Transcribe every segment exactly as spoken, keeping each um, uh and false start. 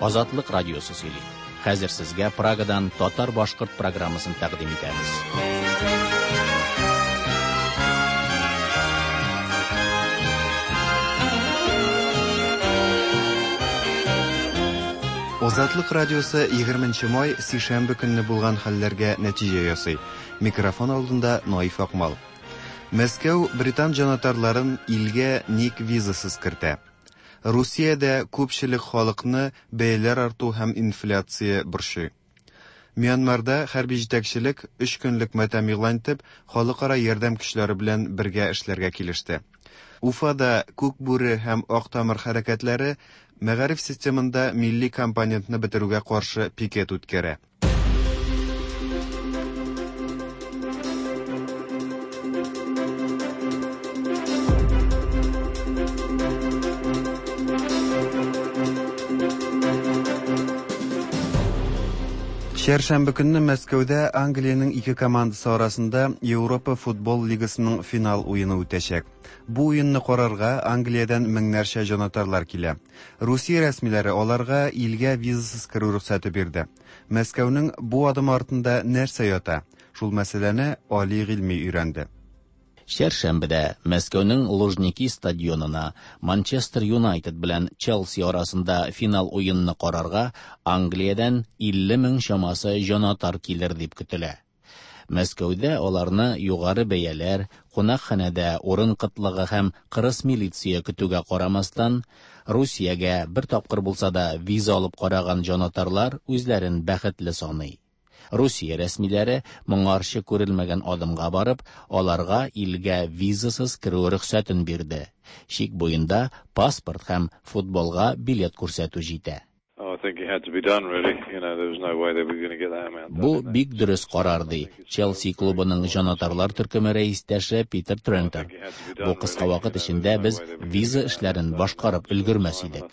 Азатлык радиосы сөйли. Хәзер сезгә Прагадан татар-башкорт программасын тәкъдим итәбез. Азатлык радиосы егерменче май сишәмбе көнне булган хәлләргә нәтиҗә ясый. Микрофон алдында Наиф Акмал. Мәскәү британ җанатарларын илгә ник визасыз кертә? Русиядә күпчелек халыкны бәяләр арту һәм инфляция борчый. Мьянмарда хәрби җитәкчелек өч көнлек матәм игълан итеп, халыкара ярдәм көчләре белән бергә эшләргә килеште. Уфада Күк бүре һәм Ак тамыр хәрәкәтләре мәгариф системында милли компонентны бетерүгә каршы пикет үткәрә. Чәршәмбе көнне Мәскәүдә Англиянең ике командасы арасында Европа футбол лигасының финал уены үтәчәк. Бу уенны карарга Англиядән меңнәрчә җанатарлар килә. Русия рәсмиләре аларга илгә визасыз керү рөхсәте бирде. Мәскәүнең бу адымы артында нәрсә ята? Шул мәсьәләне Али Гыйльми өйрәнде. Чәршәмбедә Мәскәүнең Лужники стадионына Манчестер Юнайтед белән Челси арасында финал уенны карарга Англиядән илле мең чамасы җанатар килер дип көтелә. Мәскәүдә аларны югары бәяләр, кунакханәдә урын кытлыгы һәм кырыс милиция көтүгә карамастан, Русиягә бер тапкыр булса да виза алып караган җанатарлар үзләрен бәхетле саный. Русия рәсмиләре моңарчы күрелмәгән адымга барып, аларга илгә визасыз керү рөхсәтен бирде. Чик буенда паспорт һәм футболга билет күрсәтү җитә. Бу бик дөрес карар, ди Челси клубының җанатарлар төркеме рәистәше Питер Трентер. Бу кыска вакыт эчендә без виза эшләрен башкарып өлгермәс идек.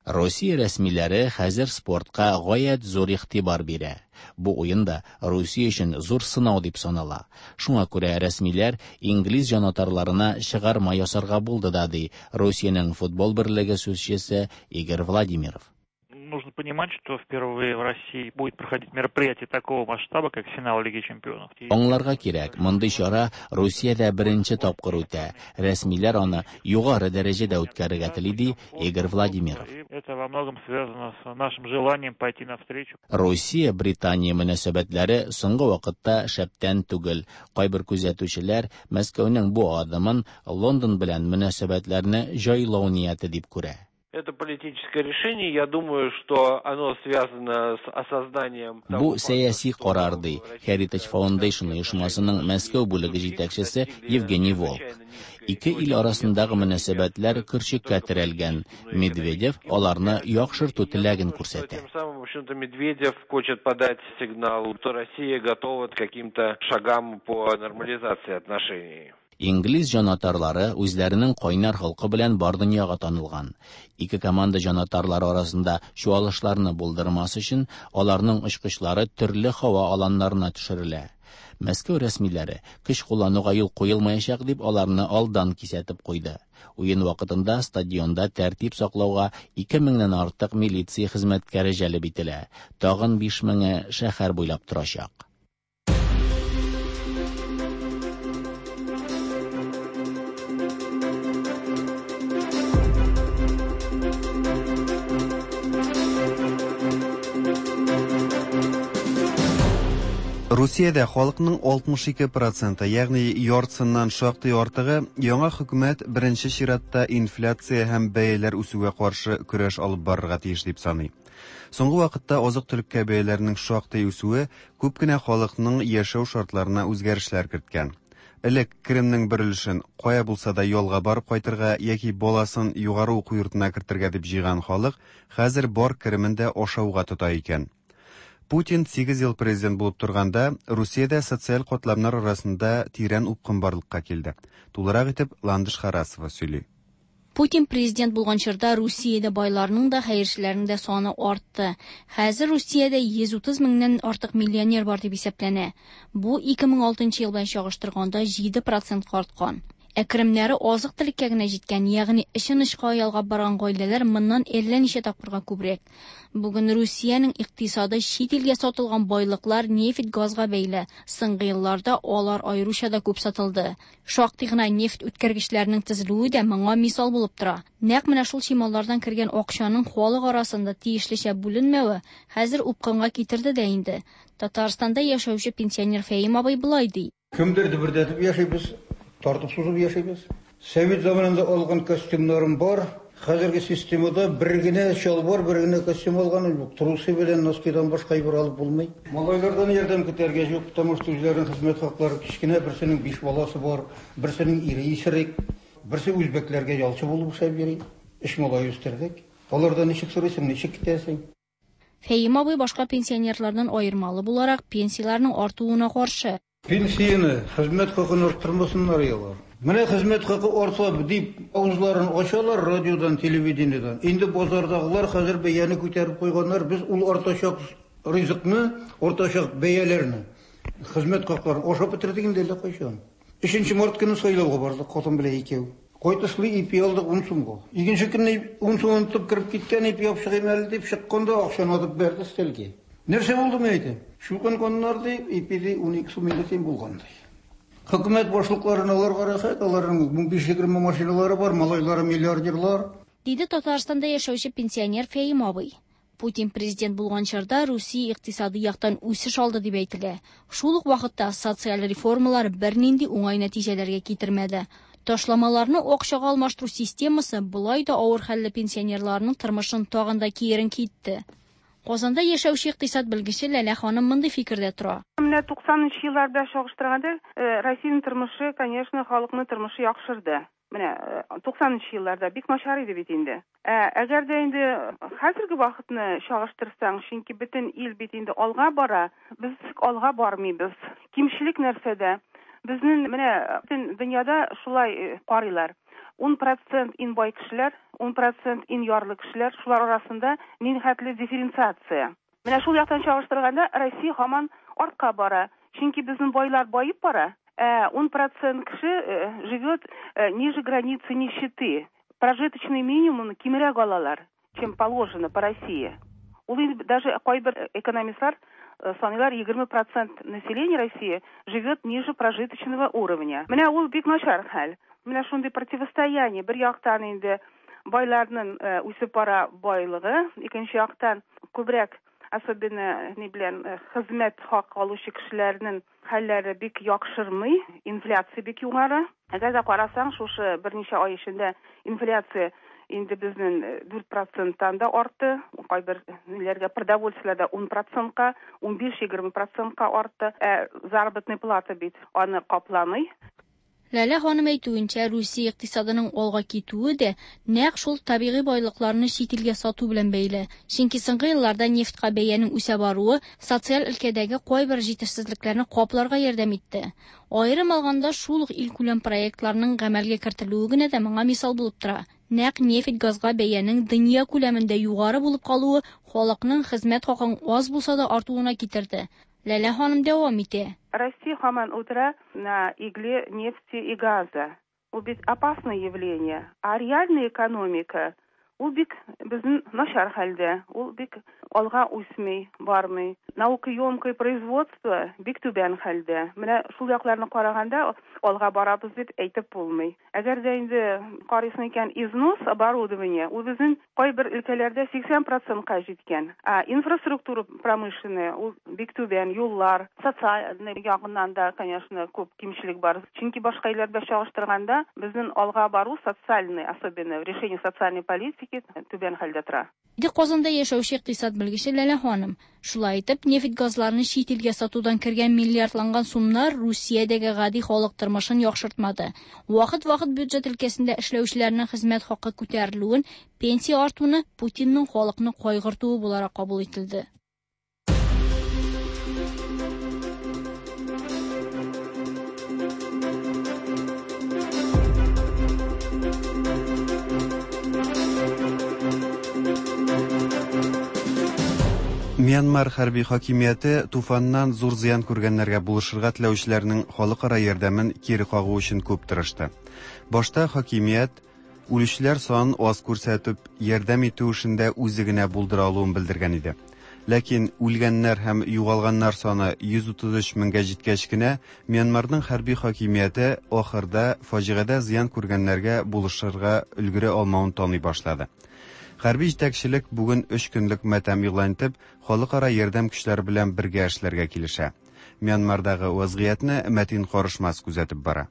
Русия рәсмиләре хәзер спортка гаять зур игътибар бирә. Бу уен да Русия өчен зур сынау дип санала. Шуңа күрә рәсмиләр инглиз җанатарларына чыгарма ясарга булды да, ди Русиянең футбол берлеге сүзчесе Игорь Владимиров. Нужно понимать, что впервые в России будет проходить мероприятие такого масштаба, как финал Лиги Чемпионов. Аңларга кирәк, мондый чара Русиядә беренче тапкыр үтә. Рәсмиләр аны югары дәрәҗәдә үткәрергә тели, ди Игорь Владимиров. Это во многом связано с нашим желанием пойти навстречу. Русия-Британия мөнәсәбәтләре соңгы вакытта шәптән түгел. Кайбер күзәтүчеләр Мәскәүнең бу адымын Лондон белән мөнәсәбәтләрне җайлау нияте дип күрә. Это политическое решение, я думаю, что оно связано с осознанием Бу сәяси карар, ди Heritage Foundation оешмасының Мәскәү бүлеге җитәкчесе Евгений Волк. Ике ил арасындагы мөнәсәбәтләр көрчеккә терәлгән. Медведев аларны яхшырту теләген күрсәтә. Тем самым, в общем-то, Медведев хочет подать сигнал, что Россия готова к каким-то шагам по нормализации отношений. Инглиз җанатарлары үзләренең кайнар халкы белән бар дөньяга танылган. Ике команда җанатарлары арасында чуалышларны булдырмас өчен аларның очкычлары төрле һава аланнарына төшерелә. Мәскәү рәсмиләре көч куллануга юл куелмаячак дип аларны алдан кисәтеп куйды. Уен вакытында стадионда тәртип саклауга ике меңнән артык милиция хезмәткәре җәлеп ителә. Тагын биш меңе шәһәр буйлап торачак. Русиядә халыкның алтмыш ике проценты, ягъни яртысыннан шактый артыгы, яңа хөкүмәт беренче чиратта инфляция һәм бәяләр үсүгә каршы көрәш алып барырга тиеш дип саный. Соңгы вакытта азык-төлеккә бәяләрнең шактый үсүе күп кенә халыкның яшәү шартларына үзгәрешләр керткән. Элек керемнең бер өлешен кая булса да ялга барып кайтырга яки баласын югары уку йортына кертергә дип җыйган халык хәзер бар керемен дә ашауга тота икән. Путин сигез ел президент булып торганда, Русиядә социаль катламнар арасында тирән упкын барлыкка килде. Тулырак итеп Ландыш Харасова сөйли. Путин президент булган чорда Русиядә байларның да, хәерчеләрнең дә саны артты. Хәзер Русиядә йөз утыз меңнән артык миллионер бар дип исәпләнә. Бу ике мең алтынчы ел белән чагыштырганда җиде процентка арткан. Ә керемнәре азык-төлеккә генә җиткән, ягъни эшен очка ялгап барган гаиләләр моннан әллә ничә тапкырга күбрәк. Бүген Русиянең икътисады чит илгә сатылган байлыклар, нефть, газга бәйле. Соңгы елларда алар аеруча да күп сатылды. Шактый гына нефть үткәргечләренең төзелүе дә моңа мисал булып тора. Нәкъ менә шул чималлардан кергән акчаның халык арасында тиешлечә бүленмәве хәзер упкынга китерде дә инде. Татарстанда яшәүче пенсионер Фәим абый болай ди. Кемдер дөбердәтеп яшибез, тартып сузып яшибез. Совет заманында алган костюмнарым бар. Хәзерге системада бер генә чалбар, бер генә костюм алганым юк. Трусы белән носкидан башка әйбер алып булмый. Малайлардан ярдәм көтәргә юк, потому что үзләренең хезмәт хаклары кечкенә, берсенең биш баласы бар, берсенең ире исерек, берсе үзбәкләргә ялчы булып эшләп йөри. Өч малай үстердек. Алардан ничек сорыйсың, ничек китәсең? Фәим абый башка пенсионерлардан аермалы буларак пенсияләрнең артуына каршы. Пенсияне, хезмәт хакын арттырмасыннар алар. Менә хезмәт хакы артса дип авызларын ачалар радиодан, телевидениедән. Инде базардагылар хәзер бәяне күтәреп куйганнар. Без ул артачак ризыкны, артачак бәяләрне, хезмәт хакларын ашап бетердек инде әллә кайчан. Өченче март көне сайлауга бардык, хатын белән икәү. Кайтышлый ипи алдык ун сумга. Икенче көнне ун сум онытып кереп киткән ипи алып чыгыйм әле дип чыкканда акчаны атып бәрде өстәлгә. Нәрсә булды мен әйтәм? Чукынганнар дип, ипиде ун ике сум инде тиң булган ди. Хөкүмәт башлыкларына аларга рәхәт, аларның ун биш егерме машиналары бар, малайлары миллиардерлар. Диде Татарстанда яшәүче пенсионер Фәим абый. Путин президент булган чорда Русия икътисады яктан үсеш алды дип әйтелә. Шул ук вакытта социаль реформалар бернинди уңай нәтиҗәләргә китермәде. Ташламаларны акчага алмаштыру системасы болай да авыр хәлле пенсионерларның тормышын тагын да киеренке итте. Казанда яшәүче икътисад белгече Ләлә ханым мондый фикердә тора. Менә туксанынчы елларда чагыштырганда, Россиянең тормышы, конечно, халыкның тормышы яхшырды. Менә туксанынчы елларда бик начар иде бит инде. Әгәр дә инде хәзерге вакытны чагыштырсаң, чөнки бөтен ил бит инде алга бара, без алга бармыйбыз. Кимчелек нәрсәдә? Безнең менә бөтен дөньяда шулай карыйлар. ун процент иң бай кешеләр, ун процент иң ярлы кешеләр, шулар арасында нихәтле дифференциация. Менә шул яктан чагыштырганда Россия һаман артка бара. Чөнки безнең байлар баеп бара, ә ун процент кеше живет ниже границы нищеты. Прожиточный минимум кимрәк алалар, чем положено по России. Ул инде даже кайбер экономистлар саныйлар, егерме процент населения России живет ниже прожиточного уровня. Менә ул бик начар хәл. Менә шундый противостояние. Бер яктан инде байларның үсеп бара байлыгы, икенче яктан күбрәк, особенно ни белән хезмәт хакы алучы кешеләрнең хәлләре бик яхшырмый, инфляция бик югары. Әгәр дә карасаң, шушы берничә ай эчендә инфляция инде безнең дүрт проценттан да артты. Кайбер ниләргә продовольствиеләрдә ун процентка, ун биш-егерме процентка артты. Ә заработная плата бит аны капламый. Ләлә ханым әйтүенчә, Русия икътисадының алга китүе дә нәкъ шул табигый байлыкларны чит илгә сату белән бәйле. Чөнки соңгы елларда нефтькә бәянең үсә баруы социаль өлкәдәге кайбер җитешсезлекләрне капларга ярдәм итте. Аерым алганда, шул ук илкүләм проектларның гамәлгә кертелүе генә дә моңа мисал булып тора. Нәкъ нефть газга бәянең дөнья күләмендә югары булып калуы халыкның хезмәт хакын аз булса да артуына китерде. Ләлә ханым дәвам итә. Россия һаман утыра на игле нефти и газа. Ул бит опасное явление. А реальная экономика ул бик безнең начар хәлдә. Ул бик алга үсми, бармый. Наукоемкое производство бик түбән хәлдә. Менә шул якларны караганда алга барабыз дип әйтеп булмый. Әгәр дә инде карыйсың икән, износ оборудование ул безнең кайбер өлкәләрдә сиксән процентка җиткән. А инфраструктура промышленная ул бик түбән, юллар, социаль ягыннан да, конечно, күп кимчелек бар. Чөнки башка илләрдә чагыштырганда безнең алга бару социальный, особенно в решении социальной политики түбән хәлдә тора. Диде Казанда яшәүче икътисад белгече Ләлә ханым. Шулай итеп, нефть газларны чит илгә сатудан кергән миллиардланган сумнар Русиядәге гади халык тормышын яхшыртмады. Вакыт-вакыт бюджет өлкәсендә эшләүчеләрнең хезмәт хакы күтәрелүен, пенсия артуны Путинның халыкны кайгыртуы буларак кабул ителде. Мьянмар хәрби хакимияте туфаннан зур зыян күргәннәргә булышырга теләүчеләрнең халыкара ярдәмен кире кагу өчен күп тырышты. Башта хакимият үлүчеләр санын аз күрсәтеп, ярдәм итү эшендә үзе генә булдыра алуын белдергән иде. Ләкин үлгәннәр һәм югалганнар саны йөз утыз өч меңгә җиткәч кенә, Мьянмарның хәрби хакимияте ахырда фаҗигадә зыян күргәннәргә булышырга өлгерә алмавын таный башлады. Хәрби җитәкчелек бүген өч көнлек матәм игълан итеп, халыкара ярдәм көчләре белән бергә эшләргә килешә. Мьянмардагы вазгыятьне Мәтин Карышмас күзәтеп бара.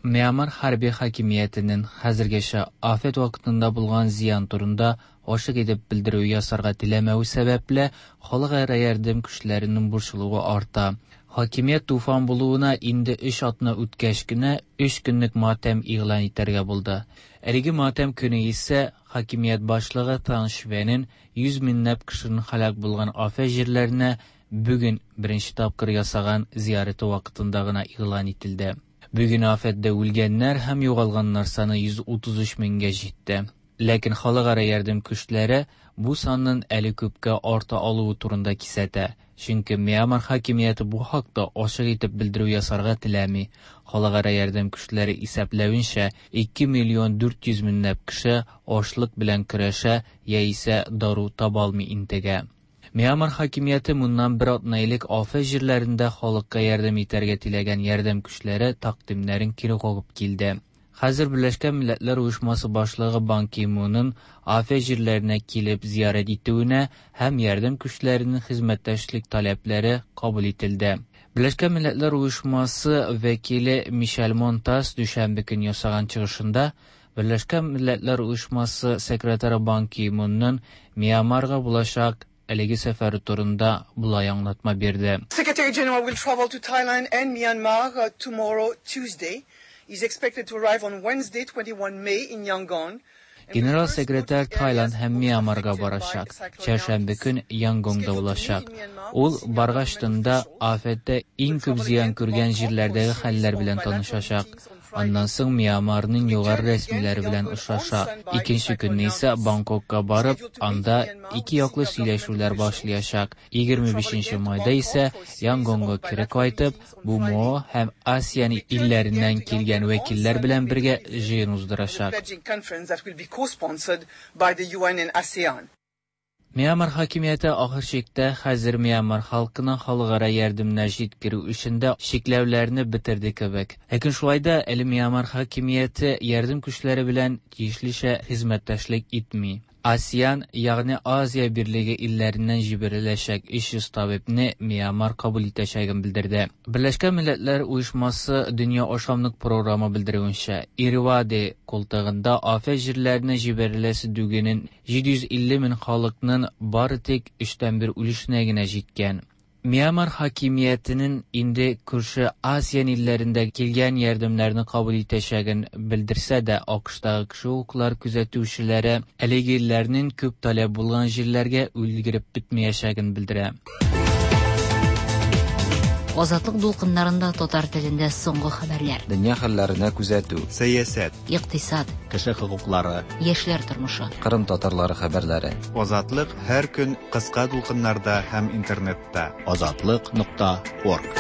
Мьянмар хәрби хакимиятенең хәзергәчә афәт вакытында булган зыян турында ачык итеп белдерү ясарга теләмәве сәбәпле, халыкара ярдәм көчләренең борчылуы арта. Хакимият туфан булуына инде өч атна үткәч кенә өч көнлек матәм игълан итәргә булды. Әлеге матәм көне исә хакимият башлыгы Тан Швенин йөз меңләп кешенең һәлак булган афәт җирләренә бүген беренче тапкыр ясаган зияраты вакытында гына игълан ителде. Бүген афәттә үлгәннәр һәм югалганнар саны йөз утыз өч меңгә җитте. Ләкин халыкара ярдәм көчләре бу санның әле күпкә арта алуы турында кисәтә. Чөнки Мьянмар хакимияте бу хакта ачык итеп белдерү ясарга теләми. Халыкара ярдәм көчләре исәпләвенчә, ике миллион дүрт йөз меңләп кеше ачлык белән көрәшә яисә дару таба алмый интегә. Мьянмар хакимияте моннан бер атна элек афәт җирләрендә халыкка ярдәм итәргә теләгән ярдәм көчләре тәкъдимнәрен кире кагып килде. Хәзер Берләшкән Милләтләр Оешмасы башлыгы Бан Ки Мунның афәт җирләренә килеп зиярәт итүенә һәм ярдәм көчләренең хезмәттәшлек таләпләре кабул ителде. Берләшкән Милләтләр Оешмасы вәкиле Мишель Монтас дүшәмбе көн ясаган чыгышында Берләшкән Милләтләр Оешмасы секретаре Бан Ки Мунның Мьянмарга булачак әлеге сәфәре турында болай аңлатма бирде. Secretary General will travel to Thailand and Myanmar tomorrow, Tuesday. He's expected to arrive on Wednesday, twenty-one May in Yangon. Генерал секретарь Тайланд һәм Мьянмарга барачак. Чәршәмбе көн Янгонда булачак. Ул баргач тында афәттә иң күп зыян күргән җирләрдәге хәлләр белән танышачак. Аннан соң Мьянмарның югары рәсмиләре белән очраша. Икенче көнне исә Бангкокка барып, анда ике яклы сөйләшүләр башлаячак. Егерме бишенче майда исә Янгонга кире кайтып, БМО һәм АСЕАН илләреннән килгән вәкилләр белән бергә җыен уздырачак. Мьянмар хакимияте ахыр чиктә хәзер Мьянмар халкына халыкара ярдәмнәр җиткерү эшендә чикләүләрне бетерде кебек. Ләкин шулай да әле Мьянмар хакимияте ярдәм көчләре белән тиешлечә хезмәттәшлек итми. АСЕАН, ягъни Азия Берлеге илләреннән җибәреләчәк өч йөз табибны Мьянмар кабул итәчәген белдерде. Берләшкән Милләтләр Оешмасы Дөнья ашамлык програмы белдерүенчә, Ирвади култыгында афәт җирләренә җибәреләсе дүгенең җиде йөз илле мең халыкның бары тик өчтән бер өлешенә генә җиткән. Мьянмар хакимиятенең инде күрше АСЕАН илләрендә килгән ярдәмнәрне кабул итәчәген белдерсә дә, АКШтагы кеше хокуклар күзәтүчеләре әлеге илләрнең күп таләп булган җирләргә өлгереп бетмәячәген белдерә. Азатлык дулкыннарында татар телендә соңгы хәбәрләр. Дөнья хәлләренә күзәтү. Сәясәт. Икътисад. Кеше хокуклары. Яшьләр тормышы. Кырым татарлары хәбәрләре. Азатлык һәр көн кыска дулкыннарда һәм интернетта. Азатлык нокта орг.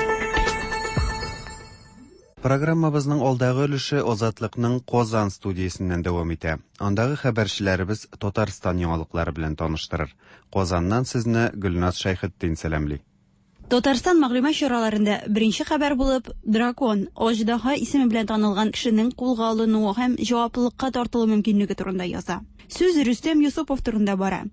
Программабызның алдагы өлеше Азатлыкның Казан студиясеннән дәвам итә. Андагы хәбәрчеләребез Татарстан яңалыклары белән таныштырыр. Казаннан сезне Гөлназ Шәйхетдин сәламли. Татарстан мәгълүмат чараларында беренче хәбәр булып Дракон, Аждаһа исеме белән танылган кешенең кулга алынуы һәм җаваплылыкка тартылу мөмкинлеге турында яза. Сүз Рөстәм Юсупов турында бара.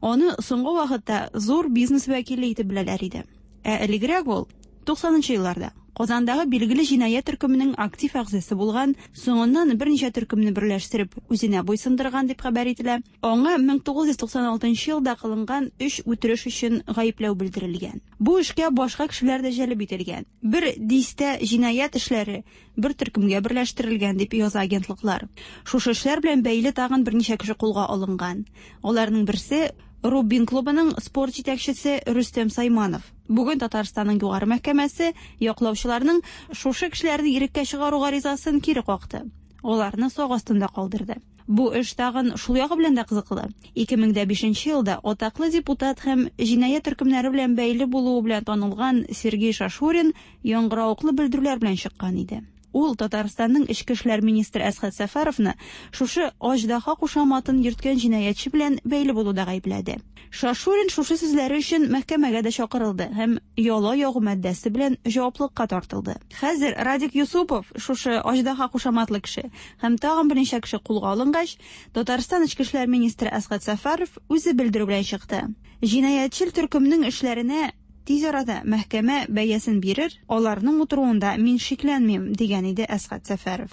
Аны соңгы вакытта зур бизнес вәкиле итеп беләләр иде. Ә элегрәк ул туксанынчы елларда Казандагы билгеле җинаять төркеменең актив әгъзасы булган, соңыннан берничә төркемне берләштереп үзенә буйсындырган дип хәбәр ителә. Аңа мең тугыз йөз туксан алтынчы елда кылынган өч үтереш өчен гаепләү белдерелгән. Бу эшкә башка кешеләр дә җәлеп ителгән. Бер дистә җинаять эшләре бер төркемгә берләштерелгән дип яза агентлыклар. Шушы эшләр белән бәйле тагын берничә кеше кулга алынган. Аларның берсе Рубин клубының спорт җитәкчесе Рөстәм Сайманов. Бүген Татарстанның югары мәхкәмәсе яклаучыларның шушы кешеләрне иреккә чыгару гаризасын кире какты. Аларны сак астында калдырды. Бу эш тагын шул ягы белән дә кызыклы. ике мең дә бишенче елда атаклы депутат һәм җинаять төркемнәре белән бәйле булуы белән танылган Сергей Шашурин яңгыравыклы белдерүләр белән чыккан иде. Ул Татарстанның эчке эшләр министры Әсхәт Сәфәровны шушы Аждаһа кушаматын йөрткән җинаятьче белән бәйле булуда гаепләде. Шашурин шушы сүзләре өчен мәхкәмәгә дә чакырылды һәм яла ягу маддәсе белән җаваплылыкка тартылды. Хәзер Радик Юсупов, шушы Аждаһа кушаматлы кеше, һәм тагын берничә кеше кулга алынгач, Татарстан эчке эшләр министры Әсхәт Сәфәров үзе белдерү белән чыкты. Җинаятьчел төркемнең эшләренә тиз арада мәхкәмә бәясен бирер, аларның утыруында мин шикләнмим, дигән иде Әсхәт Сәфәров.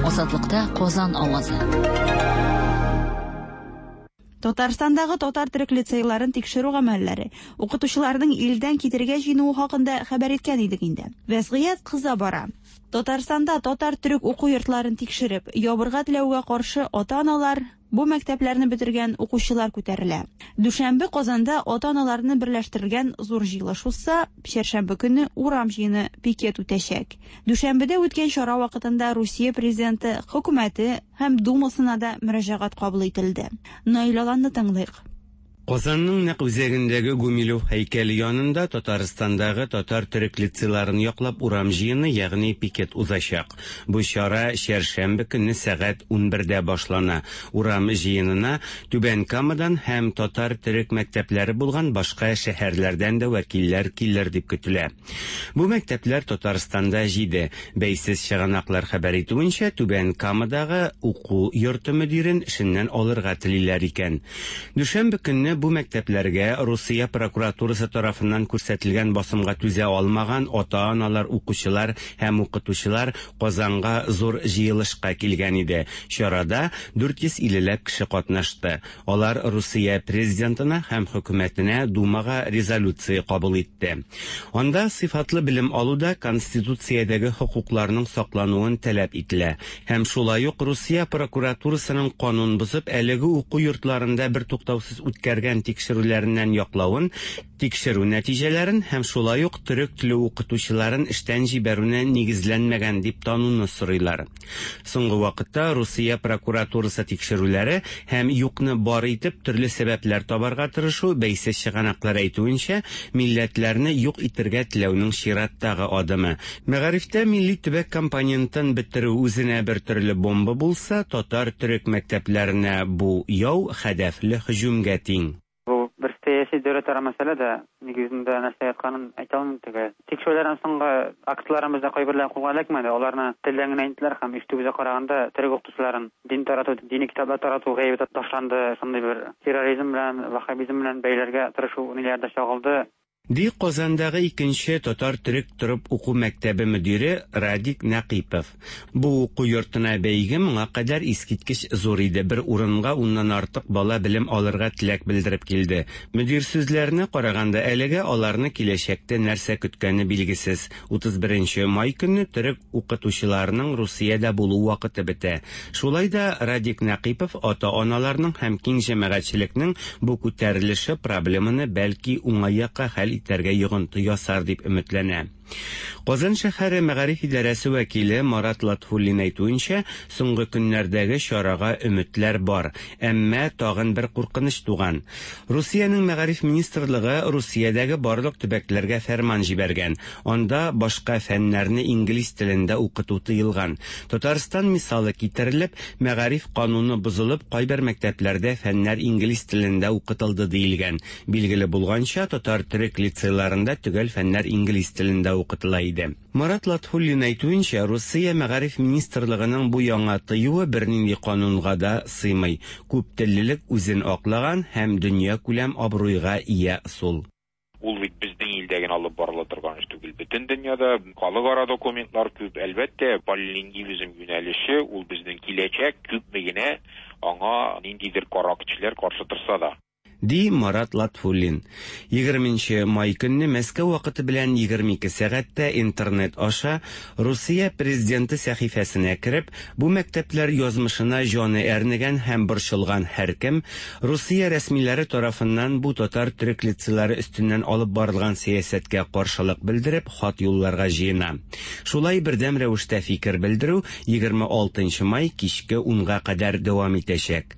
Азатлыкта Казан авазы. Татарстандагы татар төрек лицейларын тикшерү гамәлләре, укытучыларның илдән китергә җыенуы хакында хәбәр иткән идек инде. Вәзгыять кыза бара. Татарстанда татар төрек уку йортларын тикшереп, ябырга теләүгә каршы ата-аналар, бу мәктәпләрне бетергән укучылар күтәрелә. Дүшәмбе Казанда ата-аналарны берләштергән зур җыелыш узса, чәршәмбе көне урам җыены пикет үтәчәк. Дүшәмбедә үткән чара вакытында Русия президенты, хөкүмәте һәм Думасына да мөрәҗәгать кабул ителде. Наил Аланны тыңлыйк. Казанның нәкъ үзәгендәге Гумилев һәйкәле янында Татарстандагы татар төрек лицейларын яклап урам җыены, ягъни пикет узачак. Бу чара чәршәмбе көнне сәгать унбердә башлана. Урам җыенына Түбән Камадан һәм татар төрек мәктәпләре булган башка шәһәрләрдән дә вәкилләр килер дип көтелә. Бу мәктәпләр Татарстанда җиде. Бәйсез чыганаклар хәбәр итүенчә, Түбән Камадагы уку йорты мөдирен эшеннән алырга телиләр икән. Дүшәмбе көнне бу мәктәпләргә Русия прокуратурасы тарафыннан күрсәтелгән басымга түзә алмаган ата-аналар, укучылар һәм укытучылар Казанга зур җыелышка килгән иде. Чарада дүрт йөз иллеләп кеше катнашты. Алар Русия президентына һәм хөкүмәтенә Думага резолюция кабул итте. Анда сыйфатлы белем алуда конституциядәге хокукларның саклануын таләп ителә. Һәм шулай ук Русия прокуратурасының канун бозып әлеге уку йортларында бер туктаусыз үткәргән тикшерүләреннән яклавын, тикшерү нәтиҗәләрен һәм шулай ук төрек теле укытучыларын эштән җибәрүне нигезләнмәгән дип тануны сорыйлар. Соңгы вакытта Русия прокуратурасы тикшерүләре һәм юкны бар итеп төрле сәбәпләр табарга тырышу бәйсез чыганаклар әйтүенчә, милләтләрне юк итергә теләүнең чираттагы адымы. Мәгарифтә милли төбәк компонентын бетерү үзенә бер төрле бомба булса, татар төрек мәктәпләренә бу яу хәдәфле һөҗүмгә тиң. Бер сәяси дәүләтара мәсьәлә дә нигезендә нәрсә ятканын әйтә алмыйм төгәл. Тикшерүләрдән соңгы актларыбызда кайберләре кулга эләкмәде. Аларны телдән генә әйттеләр һәм ишетүебезгә караганда төрек укытучыларын дин тарату, дини китаплар тарату гаебе ташланды. Шундый бер терроризм белән, ваххабизм белән бәйләргә тырышу ниләрдә чагылды. Ди Казандагы икенче татар төрек торып уку мәктәбе мөдире Радик Нәкыйпов. Бу уку йортына бәйге моңа кадәр искиткеч зур иде. Бер урынга уннан артык бала белем алырга теләк белдереп килде. Мөдир сүзләренә караганда әлегә аларны киләчәктә нәрсә көткәне билгесез. Утыз беренче май көнне төрек укытучыларының Русиядә булу вакыты бетә. Шулай да Радик Нәкыйпов ата-аналарның һәм киң җәмәгатьчелекнең бу күтәрелеше проблеманы бәлки уңай якка хәл итәргә йогынты ясар дип өметләнә. Казан шәһәре мәгариф идарәсе вәкиле Марат Латфуллин әйтүенчә, соңгы көннәрдәге чарага өметләр бар, әмма тагын бер куркыныч туган. Русиянең мәгариф министрлыгы Русиядәге барлык төбәкләргә фәрман җибәргән. Анда башка фәннәрне инглиз телендә укыту тыелган. Татарстан мисалы китерелеп, мәгариф кануны бозылып, кайбер мәктәпләрдә фәннәр инглиз телендә укытылды диелгән. Билгеле булганча, татар төрек лицейларында төгәл фәннәр инглиз телендә укытыла иде. Марат Латфуллин әйтүенчә, Русия мәгариф министрлыгының бу яңа тыюы бернинди канунга да сыймый. Күп теллелек үзен аклаган һәм дөнья күләм абруйга ия ысул. Ул бит безнең илдә генә алып барыла торган эш түгел. Бөтен дөньяда халыкара документлар күп. Әлбәттә, полилингвизм юнәлеше ул безнең киләчәк, күпме генә аңа ниндидер кара көчләр каршы торса да. ди Марат Латфуллин. Егерменче май көнне Мәскәү вакыты белән егерме ике сәгатьтә интернет аша Русия президенты сәхифәсенә кереп, бу мәктәпләр язмышына җаны әрнегән һәм борчылган һәркем Русия рәсмиләре тарафыннан бу татар төрек лицейлары өстеннән алып барылган сәясәткә каршылык белдереп хат юлларга җыена. Шулай бердәм рәвештә фикер белдерү егерме алтынчы май кичке унга кадәр дәвам итәчәк.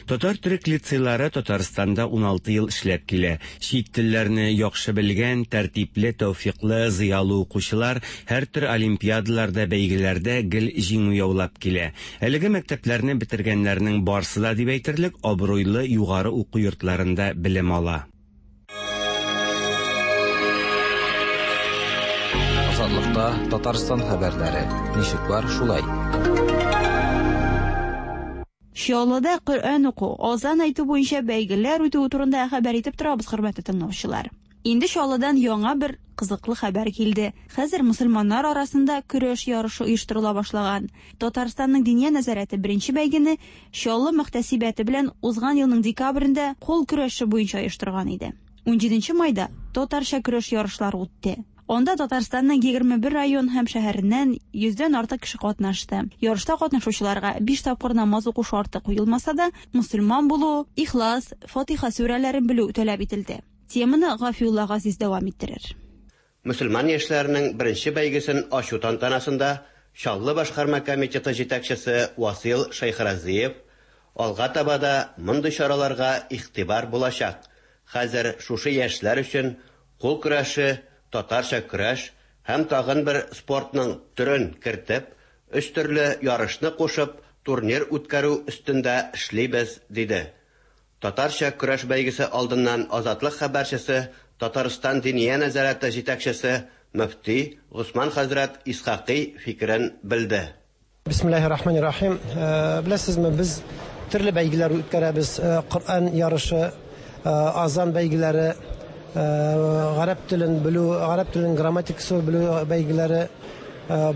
Татар төрек лицейлары Татарстанда ун алты ел эшләп килә. Чит телләрне яхшы белгән, тәртипле, тәүфиклы, зыялы укучылар һәр төр олимпиадаларда, бәйгеләрдә гел җиңү яулап килә. Әлеге мәктәпләрне бетергәннәрнең барсы да дип әйтерлек абруйлы югары уку йортларында белем ала. Азатлыкта Татарстан хәбәрләре. Ничек бар шулай. Чаллыда Коръән уку, азан әйтү буенча бәйгеләр үтүе турында хәбәр итеп торабыз, хөрмәтле тыңлаучылар. Инде Чаллыдан яңа бер кызыклы хәбәр килде. Хәзер мусульманнар арасында көрәш ярышы оештырыла башлаган. Татарстанның Диния нәзарәте беренче бәйгене Чаллы мөхтәсибәте белән узган елның декабрендә кул көрәше буенча оештырган иде. Унҗиденче майда татарча көрәш ярышлары үтте. Анда Татарстанның егерме бер район һәм шәһәреннән йөздән артык кеше катнашты. Ярышта катнашучыларга биш тапкыр намаз уку шарты куелмаса да, мусульман булу, Ихлас, Фатиха сүрәләрен белү таләп ителде. Теманы Гафиулла Газиз дәвам иттерер. Мөселман яшьләренең беренче бәйгесен ачу тантанасында Чаллы башкарма комитеты җитәкчесе Васил Шәйхразиев алга таба да мондый чараларга игътибар булачак. Хәзер шушы яшьләр өчен кул көрәше, татарча көрәш һәм тагын бер спортның төрен кертеп, өч төрле ярышны кушып, турнир үткәрү өстендә эшлибез, диде. Татарча көрәш бәйгесе алдыннан Азатлык хәбәрчесе, Татарстан Диния нәзарәте җитәкчесе мөфти Госман хәзрәт Исхакый фикерен белде. Бисмиллаһир-рахманир-рахим. Беләсезме, без төрле бәйгеләр үткәрәбез. Коръән ярышы, азан бәйгеләре, гарәп телен белү, гарәп теленең грамматикасы белү бәйгеләре,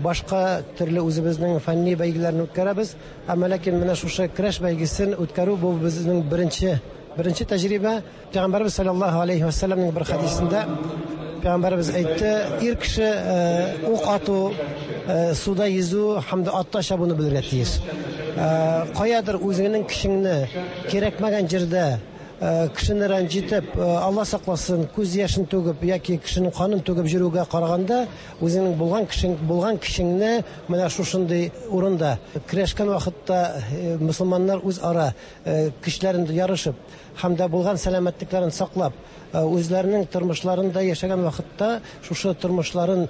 башка төрле үзебезнең фәнни бәйгеләрне үткәрәбез. Әмма ләкин менә шушы көрәш бәйгесен үткәрү бу безнең беренче беренче тәҗрибә. Пәйгамбәрбез саллаллаһу алейһи ва саллямның бер хәдисендә Пәйгамбәрбез әйтте: ир кеше ук ату, суда йөзү һәм дә атта чабуны белергә тиеш. Каядыр үзеңнең кешеңне кирәкмәгән җирдә кешене рәнҗитеп, Алла сакласын, күз яшен түгеп яки кешенең канын түгеп йөрүгә караганда, үзеңнең булган кешең, булган кешеңне менә шушындый урында көрәшкән вакытта мусульманнар үзара көчләрен ярышып һәм дә булган сәламәтлекләрен саклап, үзләренең тормышларында яшәгән вакытта шушы тормышларын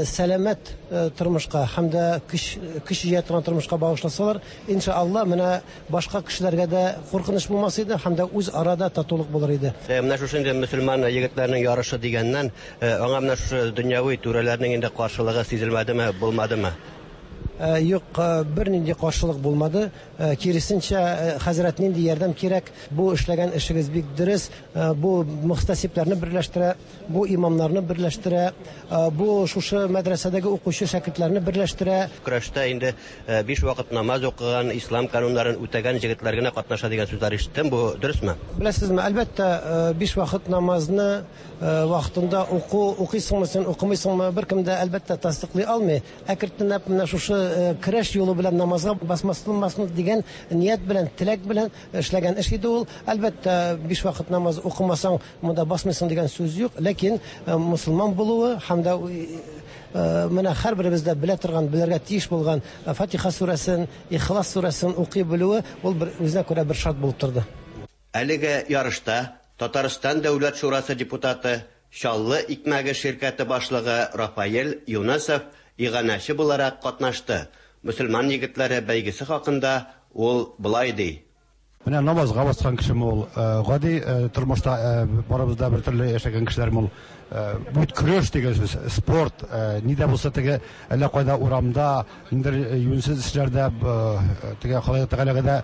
сәламәт тормышка һәм дә көч көч җыя торган тормышка багышласалар, иншалла, менә башка кешеләргә дә куркыныч булмас иде һәм дә үз арада татулык булыр иде. Менә шушы инде мөселман егетләренең ярышы дигәннән, аңа менә шушы дөньяви түрәләрнең инде каршылыгы сизелмәдеме, булмадымы? Юк, бернинди каршылык булмады. Киресенчә, хәзрәт, нинди ярдәм кирәк, бу эшләгән эшегез бик дөрес, бу мөхтәсибләрне берләштерә, бу имамнарны берләштерә, бу шушы мәдрәсәдәге укучы шәкертләрне берләштерә. Көрәштә инде биш вакыт намаз укыган, ислам кануннарын үтәгән егетләр генә катнаша дигән сүзләр ишеттем. Бу дөресме? Беләсезме, әлбәттә, биш вакыт намазны вакытында уку, укыйсыңмы син, укымыйсыңмы, беркем дә әлбәттә тасдыклый алмый. Әкренләп менә шушы көрәш юлы белән намазга басмаслынмасын дигән ният белән, теләк белән эшләгән эш иде ул. Әлбәттә, биш вакыт намаз укымасаң, монда басмыйсың дигән сүз юк, ләкин мусульман булуы һәм дә менә һәрберебез дә белә торган, белергә тиеш булган Фатиха сүрәсен, Ихлас сүрәсен укый белүе ул бер үзенә күрә бер шарт булып торды. Әлеге ярышта Татарстан Дәүләт Шурасы депутаты, Чаллы икмәге ширкәте башлыгы Рафаэль Юнасов иганәче буларак катнашты. Мөселман егетләре бәйгесе хакында ул болай ди. Менә намазга баскан кешеме ул, гади тормышта барыбыз да бер төрле яшәгән кешеләрме ул. Бу көрәш дигән сүз, спорт, ни дә булса теге әллә кайда урамда, ниндер юньсез эшләрдә, теге Ходай Тәгаләгә дә,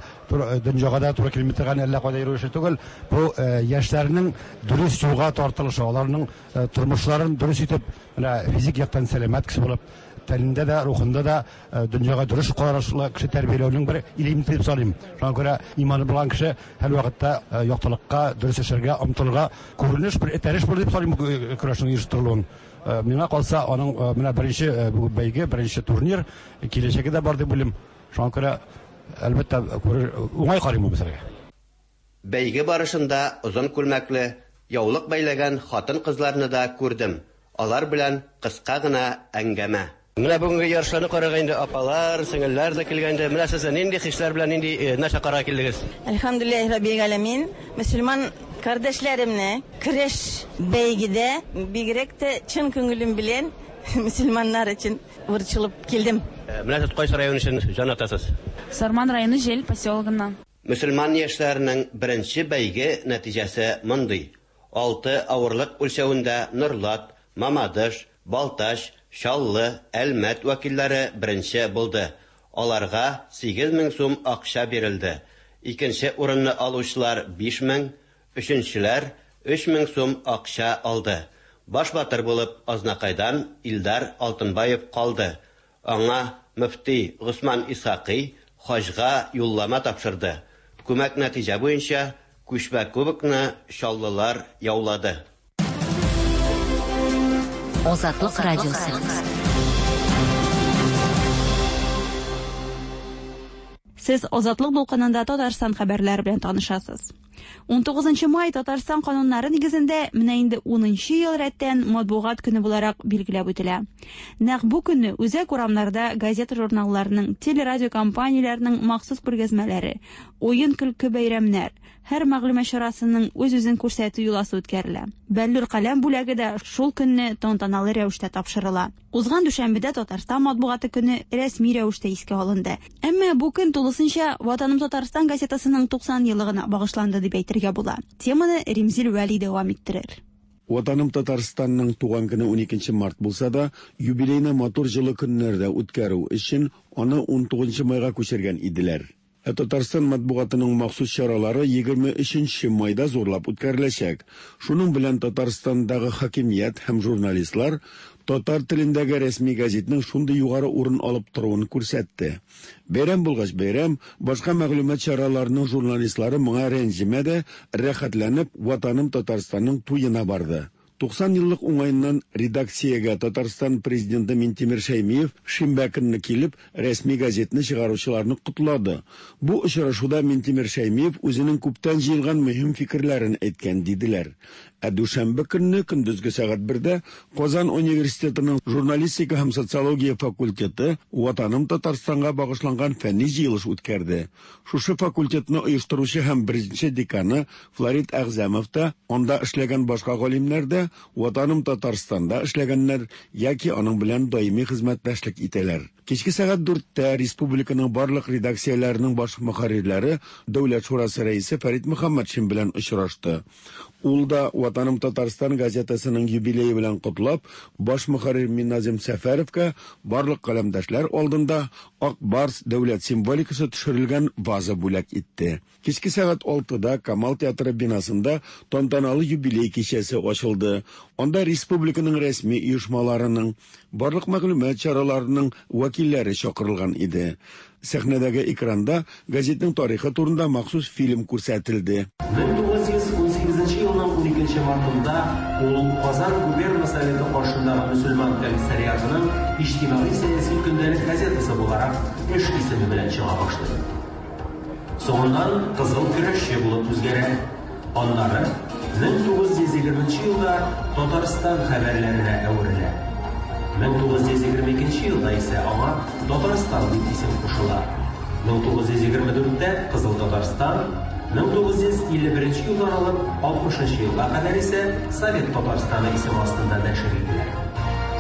дөньяга да туры килми торган әллә кайда йөрү эше түгел. Бу яшьләрнең дөрес юлга тартылышы, аларның тормышларын дөрес итеп, менә физик яктан сәламәт кеше булып, Тәнендә дә, рухында да дөньяга дөрес карашлы кеше тәрбияләүнең бер элементы дип саныйм. Шуңа күрә иманы булган кеше һәрвакытта яктылыкка, дөрес эшләргә омтылырга күренеш бер этәреш булыр дип саныйм көрәшнең оештырылуын. Миңа калса, аның менә беренче бәйге, беренче турнир киләчәге дә бар дип уйлыйм. Шуңа күрә әлбәттә уңай карыйм бу мәсьәләгә. Бәйге барышында озын күлмәкле, яулык бәйләгән хатын-кызларны да күрдем. Алар белән кыска гына әңгәмә. Менә бүгенге ярышларны карарга инде апалар, сеңелләр дә килгән инде. Менә сез нинди хисләр белән нинди нәрсә карарга килдегез? Әлхәмдүлилләһи раббил галәмин. Мөселман кардәшләремне көрәш бәйгедә бигрәк тә чын күңелем белән мөселманнар өчен борчылып килдем. Менә сез кайсы район өчен җан атасыз? Сарман районы Җел поселогыннан. Мөселман яшьләренең беренче бәйге нәтиҗәсе мондый. Алты авырлык үлчәвендә Норлат, Мамадыш, Балтач, Чаллы, Әлмәт вәкилләре беренче булды. Аларга сигез мең сум акча бирелде. Икенче урынны алучылар биш мең, өченчеләр өч мең сум акча алды. Баш батыр булып Азнакайдан Илдар Алтынбаев калды. Аңа мөфти Госман Исхакый хаҗга юллама тапшырды. Күмәк нәтиҗә буенча күчмә кубокны Чаллылар яулады. Азатлык радиосы. Сез Азатлык дулкынында Татарстан хәбәрләре белән танышасыз. ун тугызынчы май Татарстан кануннары нигезендә менә инде унынчы ел рәттән матбугат көне буларак билгеләп үтелә. Нәкъ бу көнне үзәк урамнарда газета-журналларның, телерадиокомпанияләрнең махсус күргәзмәләре, уен-көлке бәйрәмнәр, һәр мәгълүмат чарасының үз-үзен күрсәтү йоласы үткәрелә. Бәллүр каләм бүләге дә шул көнне тантаналы рәвештә тапшырыла. Узган дүшәмбедә Татарстан матбугаты көне рәсми рәвештә искә алынды. Әмма бу көн тулысынча Ватаным Татарстан газетасының туксан еллыгына багышланды дип әйтергә була. Теманы Римзил Вәли дәвам иттерер. Ватаным Татарстанның туган көне ун икенче март булса да, юбилейны матур җылы көннәрдә үткәрү өчен аны ун тугызынчы майга күчергән иделәр. Ә Татарстан матбугатының махсус чаралары егерме өченче майда зурлап үткәреләчәк. Шуның белән Татарстандагы хакимият һәм журналистлар татар телендәге рәсми газетның шундый югары урын алып торуын күрсәтте. Бәйрәм булгач бәйрәм, башка мәгълүмат чараларының журналистлары моңа рәнҗемәде, рәхәтләнеп Ватаным Татарстанның туена барды. туксан еллык уңаеннан редакциягә Татарстан президенты Минтимер Шәймиев шимбә көнне килеп, рәсми газетны чыгаручыларны котлады. Бу очрашуда Минтимер Шәймиев үзенең күптән җыелган мөһим фикерләрен әйткән диделәр. Ә дүшәмбе көнне көндезге сәгать бердә Казан университетының журналистика һәм социология факультеты Ватаным Татарстанга багышланган фәнни җыелыш үткәрде. Шушы факультетны оештыручы һәм беренче деканы Флорид Әгъзәмов та, анда эшләгән башка галимнәр дә Ватаным Татарстанда эшләгәннәр яки аның белән даими хезмәттәшлек итәләр. Кичке сәгать дүрттә республиканың барлык редакцияләренең баш мөхәррирләре Дәүләт шурасы рәисе Фәрит Мөхәммәтшин белән очрашты. Ул да Ватаным Татарстан газетасының юбилее белән котлап, баш мөхәррир Минназим Сәфәровка барлык каләмдәшләр алдында Ак Барс дәүләт символикасы төшерелгән ваза бүләк итте. Кичке сәгать алтыда Камал театры бинасында тантаналы юбилей кичәсе ачылды. Анда республиканың рәсми оешмаларының, барлык мәгълүмат чараларының вәкилләре чакырылган иде. Сәхнәдәге экранда газетның тарихы турында махсус фильм күрсәтелде. мең тугыз йөз ун сигезенче елның ун икенче мартында ул Казан губерна советы каршындагы мөселман комиссариатының иҗтимагый сәяси көндәлек газетасы буларак эш исеме белән чыга башлый. Соңыннан Кызыл көрәшче булып үзгәрә. Аннары мең тугыз йөз егерменче елда Татарстан хәбәрләренә әверелә. мең тугыз йөз егерме икенче елда исә аңа Татарстан дип исем кушыла. мең тугыз йөз егерме дүрттә Кызыл Татарстан, мең тугыз йөз илле беренче елдан алып алтмышынчы елга кадәр исә Совет Татарстаны исеме астында нәшер ителә.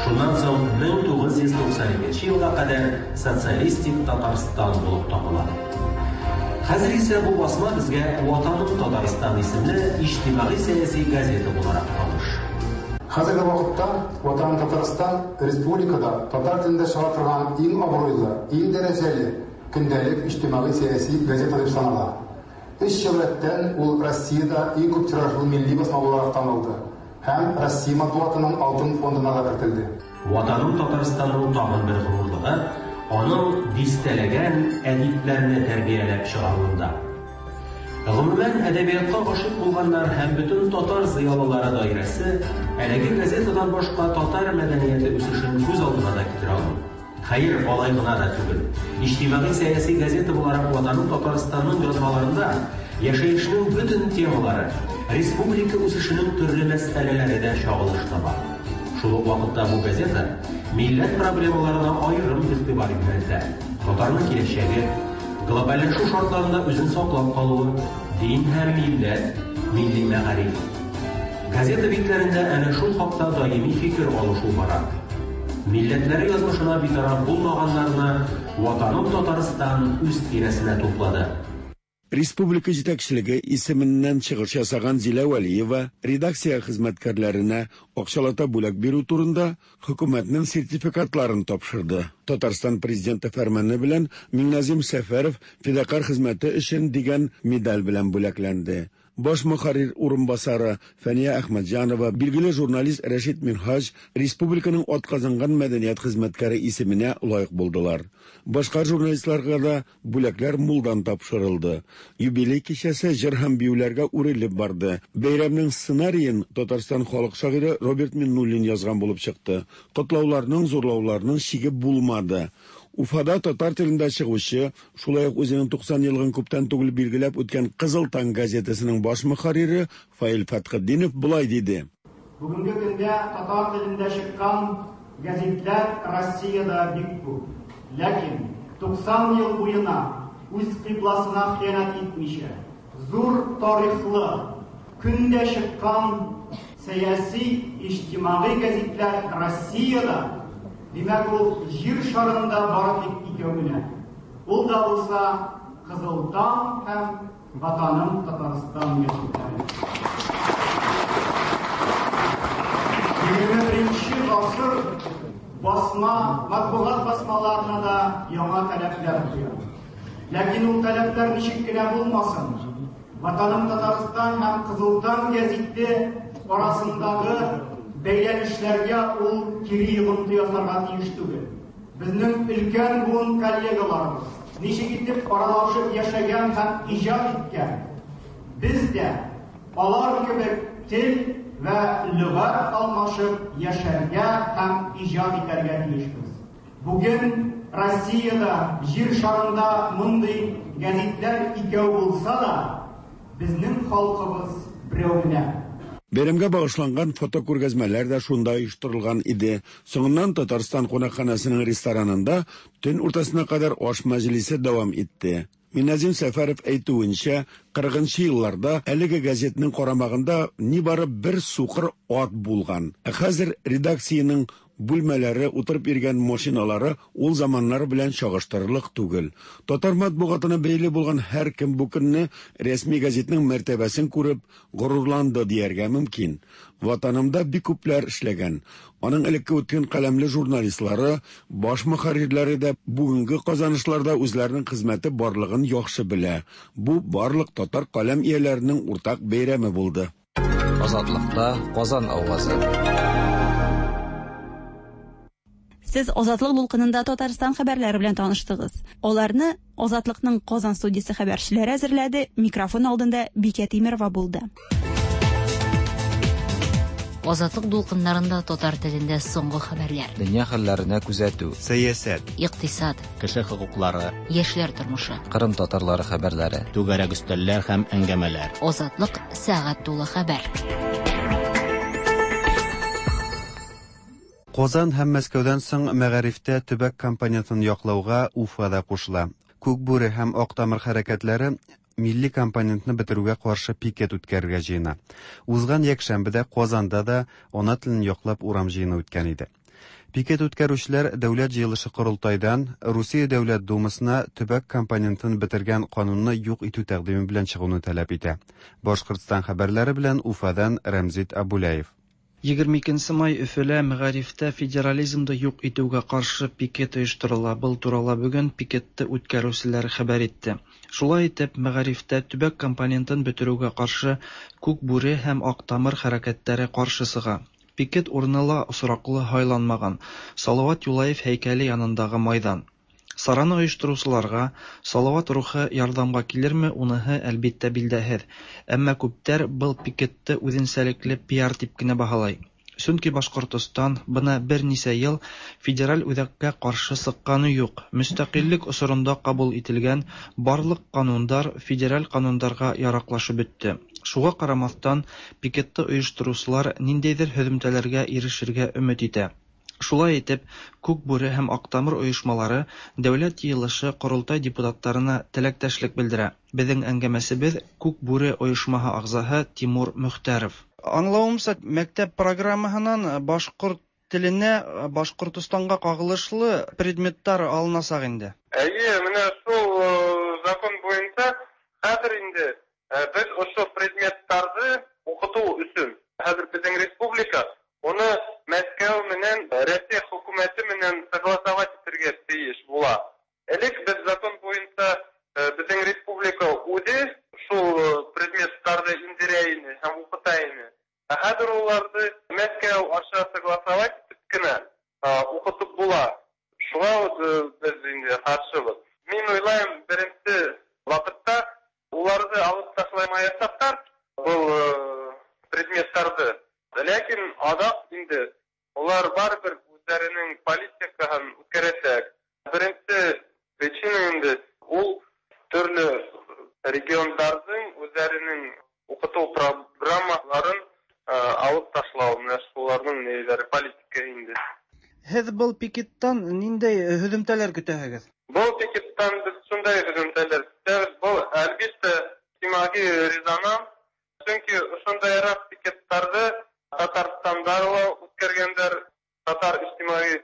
Шуннан соң мең тугыз йөз туксан икенче елга кадәр Социалистик Татарстан булып табыла. Хәзер исә бу басма безгә Ватаным Татарстан исемле иҗтимагый сәяси газета буларак таныш. Хәзерге вакытта Ватаным Татарстан республикада татар телендә чыга торган иң абруйлы, иң дәрәҗәле көндәлек иҗтимагый сәяси газета дип санала. Өч ел рәттән ул Россиядә иң күп тиражлы милли басма буларак танылды һәм Россия матбугатының алтын фондына да кертелде. Ватаным Татарстанның тагын бер горурлыгы аның дистәләгән әдипләрне тәрбияләп чыгаруында. Гомумән, әдәбиятка гашыйк булганнар һәм бөтен татар зыялылары даирәсе әлеге газетадан башка татар мәдәнияте үсешен күз алдына да китерә алмый. Хәер, алай гына да түгел. Иҗтимагый-сәяси газета буларак Ватаным Татарстанның язмаларында яшәешнең бөтен темалары, республика үсешенең төрле мәсьәләләре дә чагылыш таба. Шул ук вакытта бу газета милләт проблемаларына аерым игътибар юнәлтә. Татарның киләчәге, глобальләшү шартларында үзен саклап калуы, дин һәм милләт, милли мәгариф. Газета битләрендә әнә шул хакта даими фикер алышу бара. Милләтләре язмышына битараф булмаганнарны Ватаным Татарстан үз тирәсенә туплады. Республика җитәкчелеге исеменнән чыгыш ясаган Зилә Вәлиева редакция хезмәткәрләренә акчалата бүләк бирү турында хөкүмәтнең сертификатларын тапшырды. Татарстан президенты фәрманы белән Миңназим Сәфәров фидакарь хезмәте өчен дигән медаль белән бүләкләнде. Баш мөхәррир урынбасары Фәния Әхмәтҗанова, билгеле журналист Рәшит Минһаҗ республиканың атказанган мәдәният хезмәткәре исеменә лаек булдылар. Башка журналистларга да бүләкләр мулдан тапшырылды. Юбилей кичәсе җыр һәм биюләргә үрелеп барды. Бәйрәмнең сценариен Татарстан халык шагыйре Роберт Миннуллин язган булып чыкты. Котлауларның, зурлауларның чиге булмады. Уфада татар телендә чыгучы, шулай ук үзенең туксан еллыгын күптән түгел билгеләп үткән Кызыл таң газетасының баш мөхәррире Фаил Фәтхетдинов болай диде. Бүгенге көндә татар телендә чыккан газетлар Россиядә бик күп. Ләкин туксан ел буена үз кыйбласына хыянәт итмичә, зур тарихлы, көндә чыккан сәяси, иҗтимагый газетлар Россиядә, димәк, ул җир шарында бары тик икәү генә. Ул да булса Кызыл таң һәм Ватаным Татарстан газетлары. Егерме беренче гасыр басма, матбугат басмаларына да яңа таләпләр куя. Ләкин ул таләпләр ничек кенә булмасын, Ватаным Татарстан һәм Кызыл таң гәзите арасындагы бәйләнешләргә ул кире йогынты ясарга тиеш түгел. Безнең өлкән буын коллегаларыбыз ничек итеп аралашып яшәгән һәм иҗат иткән, без дә алар кебек тел вә лөгать алмашып яшәргә һәм иҗат итәргә тиешбез. Бүген Россиядә, җир шарында мондый гәзитләр икәү булса да, безнең халкыбыз берәү генә. Бәйрәмгә багышланган фотокүргәзмәләр дә шунда оештырылган иде. Соңыннан Татарстан кунакханәсенең ресторанында төн уртасына кадәр аш мәҗлесе дәвам итте. Минназим Сәфәров әйтүенчә, кырыгынчы елларда әлеге газетның карамагында нибары бер сукыр ат булган. Ә хәзер редакциянең бүлмәләре, утырып йөргән машиналары ул заманнар белән чагыштырырлык түгел. Татар матбугатына бәйле булган һәркем бу көнне рәсми газетның мәртәбәсен күреп горурланды дияргә мөмкин. Ватанымда бик күпләр эшләгән. Аның элекке үткән каләмле журналистлары, баш мөхәррирләре дә бүгенге казанышларда үзләренең хезмәте барлыгын яхшы белә. Бу барлык татар каләм ияләренең уртак бәйрәме булды. Азатлыкта Казан авазы. Сез Азатлык дулкынында Татарстан хәбәрләре белән таныштыгыз. Аларны Азатлыкның Казан студиясе хәбәрчеләре әзерләде. Микрофон алдында Бикә Тимерова булды. Азатлык дулкыннарында татар телендә соңгы хәбәрләр. Дөнья хәлләренә күзәтү, сәясәт, икътисад, кеше хокуклары, яшьләр тормышы, Кырым татарлары хәбәрләре, түгәрәк өстәлләр һәм әңгәмәләр. Азатлык сәгать тулы хәбәр. Казан һәм Мәскәүдән соң мәгарифтә төбәк компонентын яклауга Уфа да кушыла. Күк бүре һәм Ак тамыр хәрәкәтләре милли компонентны бетерүгә каршы пикет үткәрергә җыена. Узган якшәмбедә Казанда да ана телен яклап урам җыены үткән иде. Пикет үткәрүчеләр Дәүләт җыелышы корылтайдан Русия Дәүләт Думасына төбәк компонентын бетергән канунны юк итү тәкъдиме белән чыгуны таләп итә. Башкортстан хәбәрләре белән Уфадан Рәмзит Абулаев. Егерме икенче май Өфөлә мәгарифтә федерализмды юк итүгә каршы пикет оештырыла. Был турала бүген пикетте үткәрүселәр хәбәр итте. Шулай итеп, мәгарифтә төбәк компонентын бетерүгә каршы Күк бүре һәм Ак тамыр хәрәкәтләре каршы сыга. Пикет урыны ла осраклы һайланмаган – Салават Юлаев һәйкәле янындагы майдан. Сараны оештыручыларга Салават рухы ярдәмгә килерме, уныһы, әлбиттә, билдәһеҙ. Әммә күптәр был пикетты үҙенсәлекле пиар тип кенә баһалай. Сөнки Башҡортостан бына бер нисә йыл федераль үҙәккә ҡаршы сыҡҡаны юҡ. Мөстәҡиллек осоронда ҡабул ителгән барлыҡ ҡанундар федераль ҡанундарға яраҡлашып бөттө. Шуға ҡарамаҫтан, пикетты ойоштороусылар ниндәйҙер һөҙөмтәләргә ирешергә өмөт итә. Шулай итеп, Күк Бүре һәм Аҡтамыр ойошмалары Дәүләт Йыйылышы Ҡоролтай депутаттарына теләктәшлек белдерә. Беҙҙең әңгәмәсебеҙ Күк Бүре ойошмаһы ағзаһы Тимур Мөхтәров. Аңлауымса, мәктәп программаһынан башҡорт теленә, Башҡортостанға ҡағылышлы предметтар алынасаҡ инде. Эйе, менә шул закон буйынса хәҙер инде беҙ ошо предметтарҙы уҡытыу өсөн хәҙер беҙҙең республика уны Мәскәү менән Рәсәй хөкүмәте менән согласовать итергә тейеш була. Элек беҙ закон буйынса беҙҙең республика үҙе шул предметтарҙы индерә ине һәм уҡыта ине. Ә хәҙер уларҙы Мәскәү аша согласовать итеп кенә уҡытып була. Шуға беҙ инде ҡаршыбыҙ. Мин уйлайым, беренсе ваҡытта уларҙы алып ташламаясаҡтар был предметтарҙы. Ләкин аҙаҡ инде улар барыбер үҙҙәренең политикаһын үткәрәсәк. Беренсе причина инде ул төрлө региондарҙың үҙҙәренең уҡытыу программаларын алып ташлау, менә шуларҙың нейҙәре политика инде. Һеҙ был пикеттан ниндәй һөҙөмтәләр көтәһегеҙ? Был пикеттан беҙ шундай һөҙөмтәләр көтәбеҙ. Был әлбиттә иҗтимағи резонанс, сөнки ошондайыраҡ пикеттарҙы Татарстанда ла үткәргәндәр, татар ижтимағи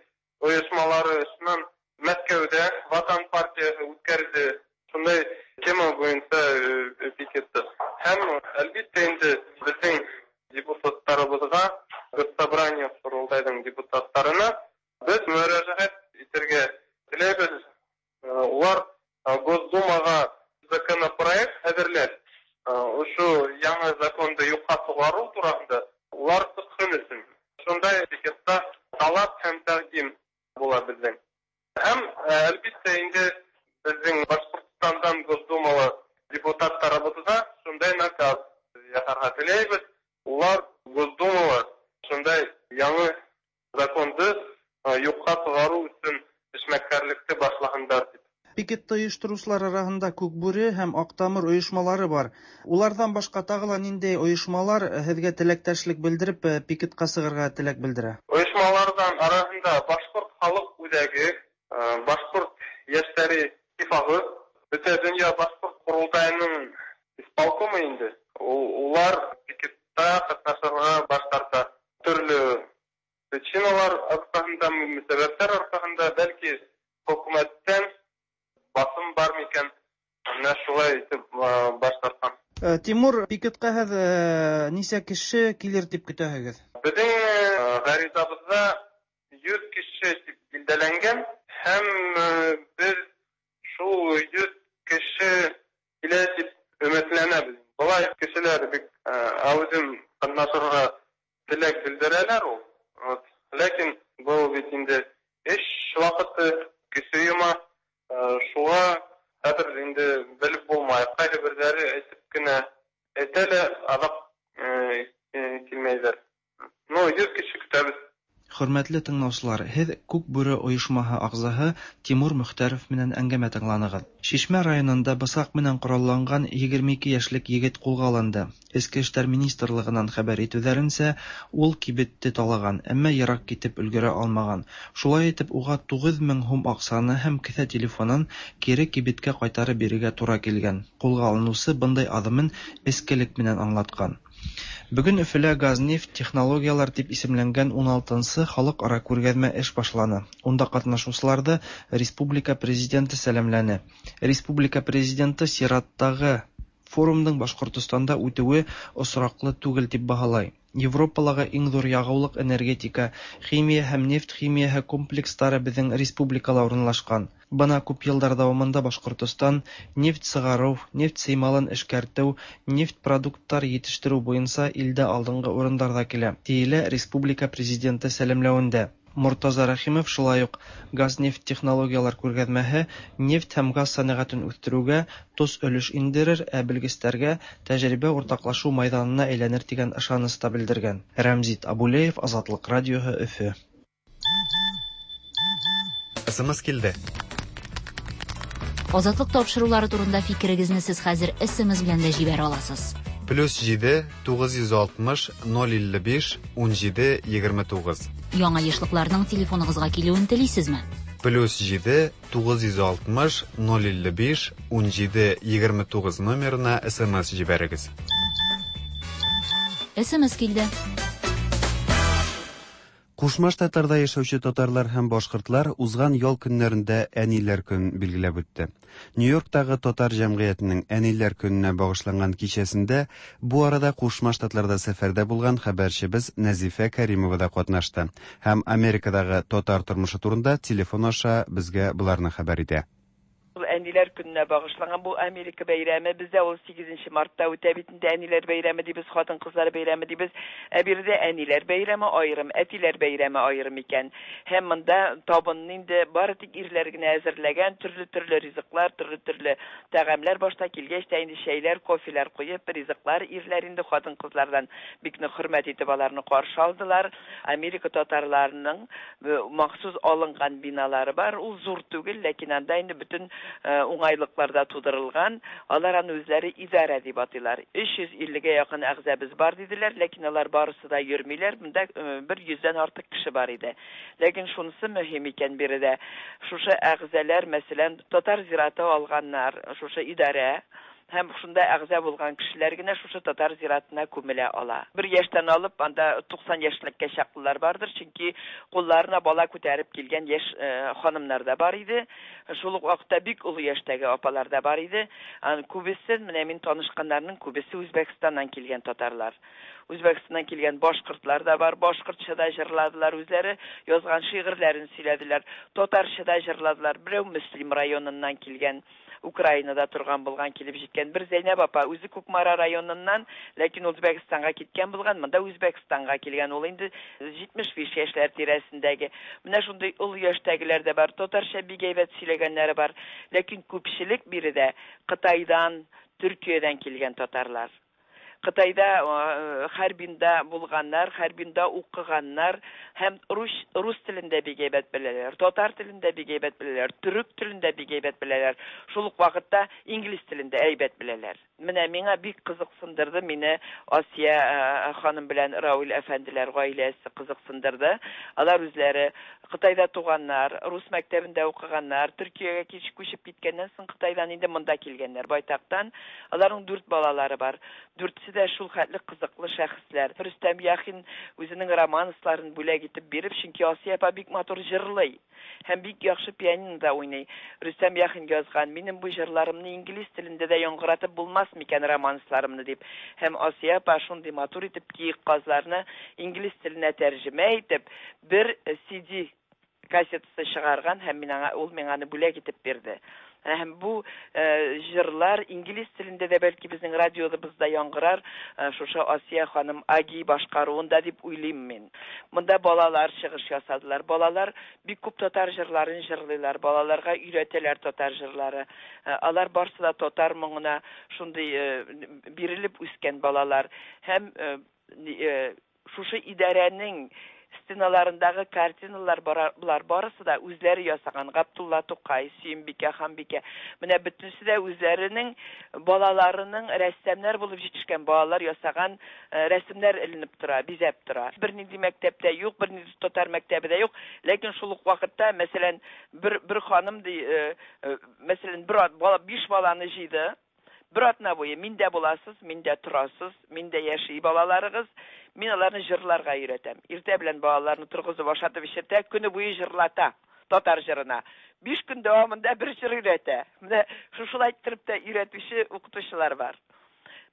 ойошмалары шунан Мәскәүҙә Ватан партияһы үткәрҙе шундай тема буйынса пикетты. Һәм әлбиттә инде беҙҙең депутаттарыбыҙға, Госсобрание Ҡоролтайҙың депутаттарына беҙ мөрәжәғәт итергә теләйбеҙ. Улар Госдумаға законопроект әҙерләп, ошо яңы законды юҡҡа сығарыу тураһында улар сыҡһын өсөн. Шундай пикетта талап һәм тәҡдим була беҙҙең. Һәм әлбиттә инде беҙҙең Башҡортостандан Госдумала депутаттарыбыҙға шундай наказ яһарға теләйбеҙ. Улар Госдумала шундай яңы законды юҡҡа сығарыу өсөн эшмәкәрлекте башлаһындар тип. Пикетты ойоштороусылар араһында Күк Бүре һәм Аҡтамыр ойошмалары бар. Уларҙан башҡа тағы ла ниндәй ойошмалар һеҙгә теләктәшлек белдереп пикетҡа сығырға теләк белдерә? Ойошмаларҙан араһында Башҡорт халыҡ үҙәге, Башҡорт йәштәре иттифағы, Бөтә донъя Башҡорт ҡоролтайының исполкомы инде. Улар пикетта ҡатнашырға баш тарта. Төрлө причиналар арҡаһында, сәбәптәр арҡаһында, бәлки хөкүмәттән басым бар микән, менә шулай итеп баш тартҡан. Тимур, пикетҡа һеҙ нисә кеше килер тип көтәһегеҙ? Беҙҙең ғаризабыҙҙа йөҙ кеше тип билдәләнгән, һәм беҙ шул йөҙ кеше килә тип өмөтләнәбеҙ. Былай кешеләр бик әүҙем ҡатнашырға теләк белдерәләр ул. Ләкин был бит инде эш ваҡыты, кеше йома. Шуға хәҙер инде белеп булмай. Ҡайһы берҙәре әйтеп кенә әйтә лә, аҙаҡ килмәйҙәр. Ну, йөҙ кеше көтәбеҙ. Хөрмәтле тыңлаусылар, һеҙ Күк Бүре ойошмаһы ағзаһы Тимур Мөхтәров менән әңгәмә тыңланығыҙ. Шишмә районында бысаҡ менән ҡоралланған егерме ике йәшлек егет ҡулға алынды. Эске эштәр министрлығынан хәбәр итеүҙәренсә, ул кибетте талаған, әммә йыраҡ китеп өлгөрә алмаған. Шулай итеп, уға туғыҙ мең һум аҡсаны һәм кеҫә телефонын кире кибеткә ҡайтарып бирергә тура килгән. Ҡулға алыныусы бындай аҙымын эскелек менән аңлатҡан. Бөгөн Өфөлә «Газнефть технологиялар» тип исемләнгән ун алтынсы халыҡ-ара күргәҙмә эш башланы. Унда ҡатнашыусыларҙы республика президенты сәләмләне. Республика президенты сираттағы форумдың Башҡортостанда үтеүе осраҡлы түгел тип баһалай. Европалагы иң зур ягулык-энергетика, химия һәм нефть химияһе комплекслары безнең республикала урынлашкан. Бына күп еллар дәвамында Башкортостан нефть сыгарыу, нефть сыймалын эшкәртеү, нефть продукттар етештерү буенча илдә алдынгы урындарда килә, диелә республика Президенты сәламләвендә. Мортаза Рәхимов шулай ук газ-нефть технологияләр күргәзмәһе нефть һәм газ сәнәгатен үстерүгә тос өлеш индерер, ә белгечләргә тәҗрибә уртаклашу майданына әйләнер дигән ышаныч та белдергән. Рәмзит Абулеев, Азатлык радиоһы, Өфө. СМС килде. Азатлык тапшырулары турында фикерегезне сез хәзер СМС белән дә җибәрә аласыз. Плюс җиде, тугыз йөз алтмыш, ноль илле биш, унҗиде, егерме тугыз. Яңа ешлыкларның телефоныгызга килүен телисезме? Плюс җиде, тугыз йөз алтмыш, ноль илле биш, унҗиде, егерме тугыз номерына СМС җибәрегез. СМС килде. Кушма Штатларда яшәүче татарлар һәм башкортлар узган ял көннәрендә Әниләр көнен билгеләп үтте. Нью-Йорктагы татар җәмгыятенең Әниләр көненә багышланган кичәсендә бу арада Кушма Штатларда сәфәрдә булган хәбәрчебез Нәзифә Кәримова да катнашты һәм Америкадагы татар тормышы турында телефон аша безгә боларны хәбәр итә. Ул Әниләр көненә багышланган бу Америка бәйрәме бездә ул сигезенче мартта үтә бит инде, Әниләр бәйрәме дибез, хатын-кызлар бәйрәме дибез. Ә биредә Әниләр бәйрәме аерым, әтиләр бәйрәме аерым икән. Һәм монда табынны инде бары тик ирләр генә әзерләгән, төрле-төрле ризыклар, төрле-төрле тәгамләр башта килгәч тә инде чәйләр, кофелар куеп, ризыклар ирләр инде хатын-кызлардан бик нык хөрмәт итеп аларны каршы алдылар. Америка татарларының махсус алынган биналары бар, ул зур түгел, ләкин анда инде бөтен уңайлыкларда тудырылган, алар аны үзләре идарә дип атыйлар. Өч йөз иллегә якын әгъзабыз бар диделәр, ләкин алар барысы да йөрмиләр, монда бер йөздән артык кеше бар иде. Ләкин шунысы мөһим икән биредә, шушы әгъзалар, мәсәлән, татар зираты алганнар, шушы идарә һәм шунда әгъза булган кешеләр генә шушы татар зиратына күмелә ала. Бер яшьтән алып анда туксан яшьлеккә чаклылар бардыр, чөнки кулларына бала күтәреп килгән яшь ханымнар да бар иде. Шул ук вакытта бик олы яшьтәге апалар да бар иде. Аны күбесе, менә мин танышканнарның күбесе Үзбәкстаннан килгән татарлар. Үзбәкстаннан килгән башкортлар да бар, башкортча да җырладылар, үзләре язган шигырьләрен сөйләделәр, татарча да җырладылар. Берәү Мөслим районыннан килгән, Украинада торган булган, килеп җиткән бер Зәйнәб апа, үзе Кукмара районыннан, ләкин Үзбәкстанга киткән булган, монда Үзбәкстанга килгән, ул инде җитмеш биш яшьләр тирәсендәге. Менә шундый олы яшьтәгеләр дә бар, татарча бик әйбәт сөйләгәннәре бар, ләкин күпчелек биредә Кытайдан, Төркиядән килгән татарлар. Кытайда, Харбинда булганнар, Харбинда укыганнар һәм рус, рус телендә бик әйбәт беләләр, татар телендә бик әйбәт беләләр, төрек телендә бик әйбәт беләләр, шул ук вакытта инглиз телендә әйбәт беләләр. Менә миңа бик кызыксындырды, мине Асия ханым белән Рауль әфәнделәр гаиләсе кызыксындырды. Алар үзләре Кытайда туганнар, рус мәктәбендә укыганнар, Төркиягә кич күчеп киткәннән соң Кытайдан инде монда килгәннәр байтактан. Аларның дүрт балалары бар. Дүртесе дә шул хәтле кызыклы шәхесләр. Рөстәм Яхин үзенең романсларын бүләк итеп биреп, чөнки Асия апа бик матур җырлый һәм бик яхшы пианинода уйный. Рөстәм Яхин язган: "Минем бу җырларымны инглиз телендә дә яңгыратып булмас микән романсларымны" дип. Һәм Асия апа шундый матур итеп киек казларны инглиз теленә тәрҗемә итеп бер си ди кассетасы чыгарган һәм мин аңа, ул миңа аны бүләк итеп бирде. Һәм бу җырлар инглиз телендә дә бәлки безнең радиобызда яңгырар, шушы Асия ханым Аги башкаруында дип уйлыйм мин. Монда балалар чыгыш ясадылар. Балалар бик күп татар җырларын җырлыйлар, балаларга өйрәтәләр татар җырлары. Алар барсы да татар моңына шундый бирелеп үскән балалар. Һәм шушы идарәнең стеналарындагы картиналар булар барысы да үзләре ясаган. Габдулла Тукай, Сөембикә, Ханбикә. Менә бөтенесе дә үзләренең балаларының рәссамнар булып җитешкән балалар ясаган рәсемнәр эленеп тора, бизәп тора. Бернинди мәктәптә юк, бернинди татар мәктәбе дә юк, ләкин шул ук вакытта, мәсәлән, бер бер ханым ди, мәсәлән, бер бала биш баланы җыйды. Бер атна буе миндә буласыз, миндә торасыз, миндә яши балаларыгыз. Мин аларны җырларга өйрәтәм. Иртә белән балаларны торгызып ашатып эчертә, көне буе җырлата татар җырына. Биш көн дәвамында бер җыр өйрәтә. Менә шушылай иттереп тә өйрәтүче укытучылар бар.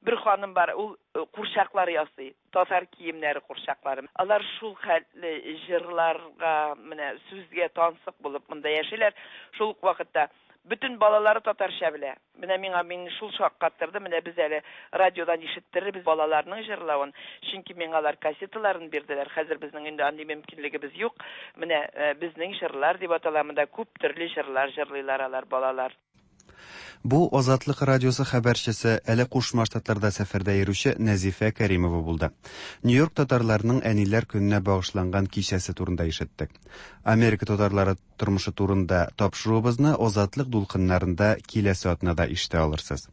Бер ханым бар, ул курчаклар ясый, татар киемнәре курчаклары. Алар шул хәтле җырларга, менә сүзгә тансык булып монда яшиләр. Шул ук вакытта бөтен балалары татарча белә. Менә миңа мине шул шаккаттырды. Менә без әле радиодан ишеттерербез балаларның җырлавын. Чөнки миңа алар кассеталарын бирделәр. Хәзер безнең инде андый мөмкинлегебез юк. Менә безнең җырлар дип атала, монда күп төрле җырлар җырлыйлар алар балалар. Бу Азатлык радиосы хәбәрчесе, әле Кушма Штатларда сәфәрдә йөрүче Нәзифә Кәримова булды. Нью-Йорк татарларының әниләр көненә багышланган кичәсе турында ишеттек. Америка татарлары тормышы турында тапшыруыбызны Азатлык дулкыннарында киләсе атнада ишетә алырсыз.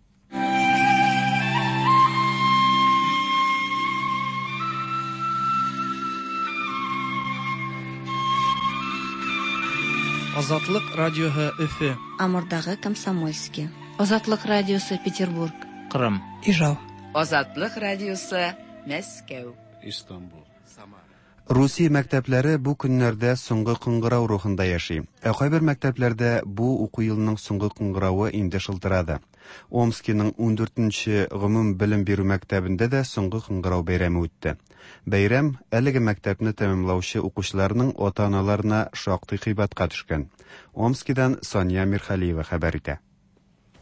Азатлык радиоһы Өфе. Амурдагы Комсомольский. Азатлык радиосы Петербург. Кырым. Ижау. Азатлык радиосы Мәскәү. Истанбул. Самара. Русия мәктәпләре бу көннәрдә соңгы кыңгырау рухында яши. Ә кайбер мәктәпләрдә бу уку елының соңгы кыңгыравы инде шылтырады. Омскиның ундүртенче гомум белем бирү мәктәбендә дә соңгы кыңгырау бәйрәме үтте. Бәйрәм әлеге мәктәпне тәмамлаучы укучыларның ата-аналарына шактый кыйбатка төшкән. Омскидан Сания Мирхалиева хәбәр итә.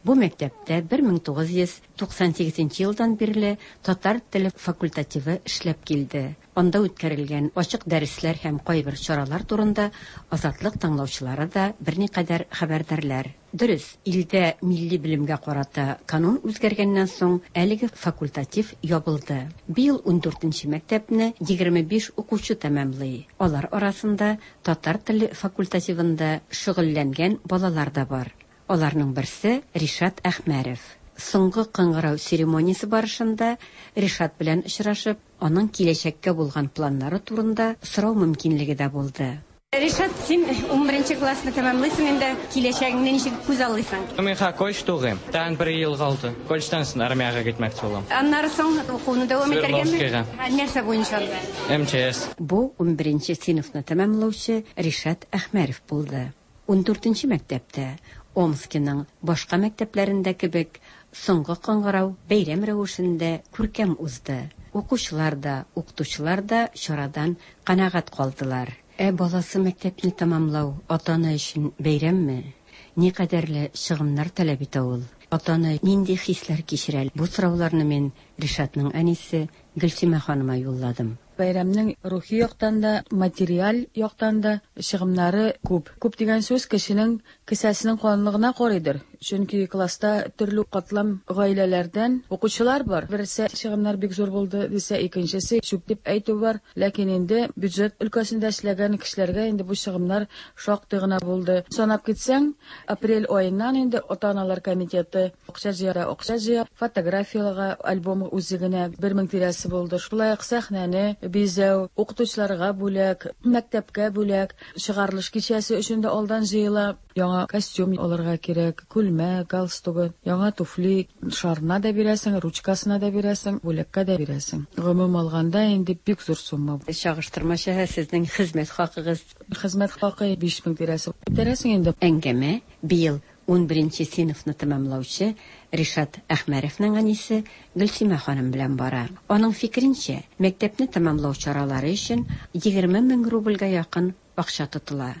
Бу мәктәптә бер мең тугыз йөз туксан сигезенче елдан бирле татар теле факультативы эшләп килде. Анда үткәрелгән ачык дәресләр һәм кайбер чаралар турында Азатлык тыңлаучылары да берникадәр хәбәрдарлар. Дөрес, илдә милли белемгә карата канун үзгәргәннән соң әлеге факультатив ябылды. Быел ундүртенче мәктәпне егерме биш укучы тәмамлый. Алар арасында татар теле факультативында шөгыльләнгән балалар да бар. Аларның берсе Ришат Әхмәрев. Соңгы кыңгырау церемониясе барышында Ришат белән очрашып, аның киләчәккә булган планнары турында сорау мөмкинлеге дә булды. Ришат, син унберенче классны тәмамлыйсың инде, киләчәгеңне ничек күз аллыйсың? Мин ха колледж тугыйм. Тагын бер ел калды. Колледжтан соң армиягә китмәкче булам. Аннары соң укуны дәвам итәргәме? Нәрсә буенча анда? Эм Че Эс. Бу унберенче сыйныфны тәмамлаучы Ришат Әхмәрев булды. Ундүртенче мәктәптә Омскиның башка мәктәпләрендә кебек соңгы кыңгырау бәйрәм рәвешендә күркәм узды. Укучылар да, укытучылар да чарадан канәгать калдылар. Ә баласы мәктәпне тәмамлау ата-ана өчен бәйрәмме? Никадәрле чыгымнар таләп итә ул? Ата-ана нинди хисләр кичерә? Бу сорауларны мин Ришатның әнисе Гөлсимә ханыма юлладым. Бәйрәмнең рухи яктан да, материаль яктан да чыгымнары күп. Күп дигән сүз кешенең кесәсенең калынлыгына карыйдыр. Чөнки класста төрле катлам гаиләләрдән укучылар бар. Берсе чыгымнар бик зур булды дисә, икенчесе чүп дип әйтү бар. Ләкин инде бюджет өлкәсендә эшләгән кешеләргә инде бу чыгымнар шактый гына булды. Санап китсәң, апрель аеннан инде ата-аналар комитеты акча җыя, акча җыя, фотографияләргә альбом үзе генә бер мең тирәсе булды. Шулай ук сәхнәне бизәү, укытучыларга бүләк, мәктәпкә бүләк, чыгарылыш кичәсе өчен дә алдан җыела. Яңа костюм алырга кирәк, күлмәк, галстугы, яңа туфли, шарына да бирәсең, ручкасына да бирәсең, бүләккә дә бирәсең. Гомум алганда инде бик зур сумма. Чагыштырмача сезнең хезмәт хакыгыз? Хезмәт хакы биш мең тирәсе. Күтәрәсең инде. Әңгәмә быел унберенче сыйныфны тәмамлаучы Ришат Әхмәревнең әнисе Гөлсимә ханым белән бара. Аның фикеренчә, мәктәпне тәмамлау чаралары өчен егерме мең рубльгә якын акча тотыла.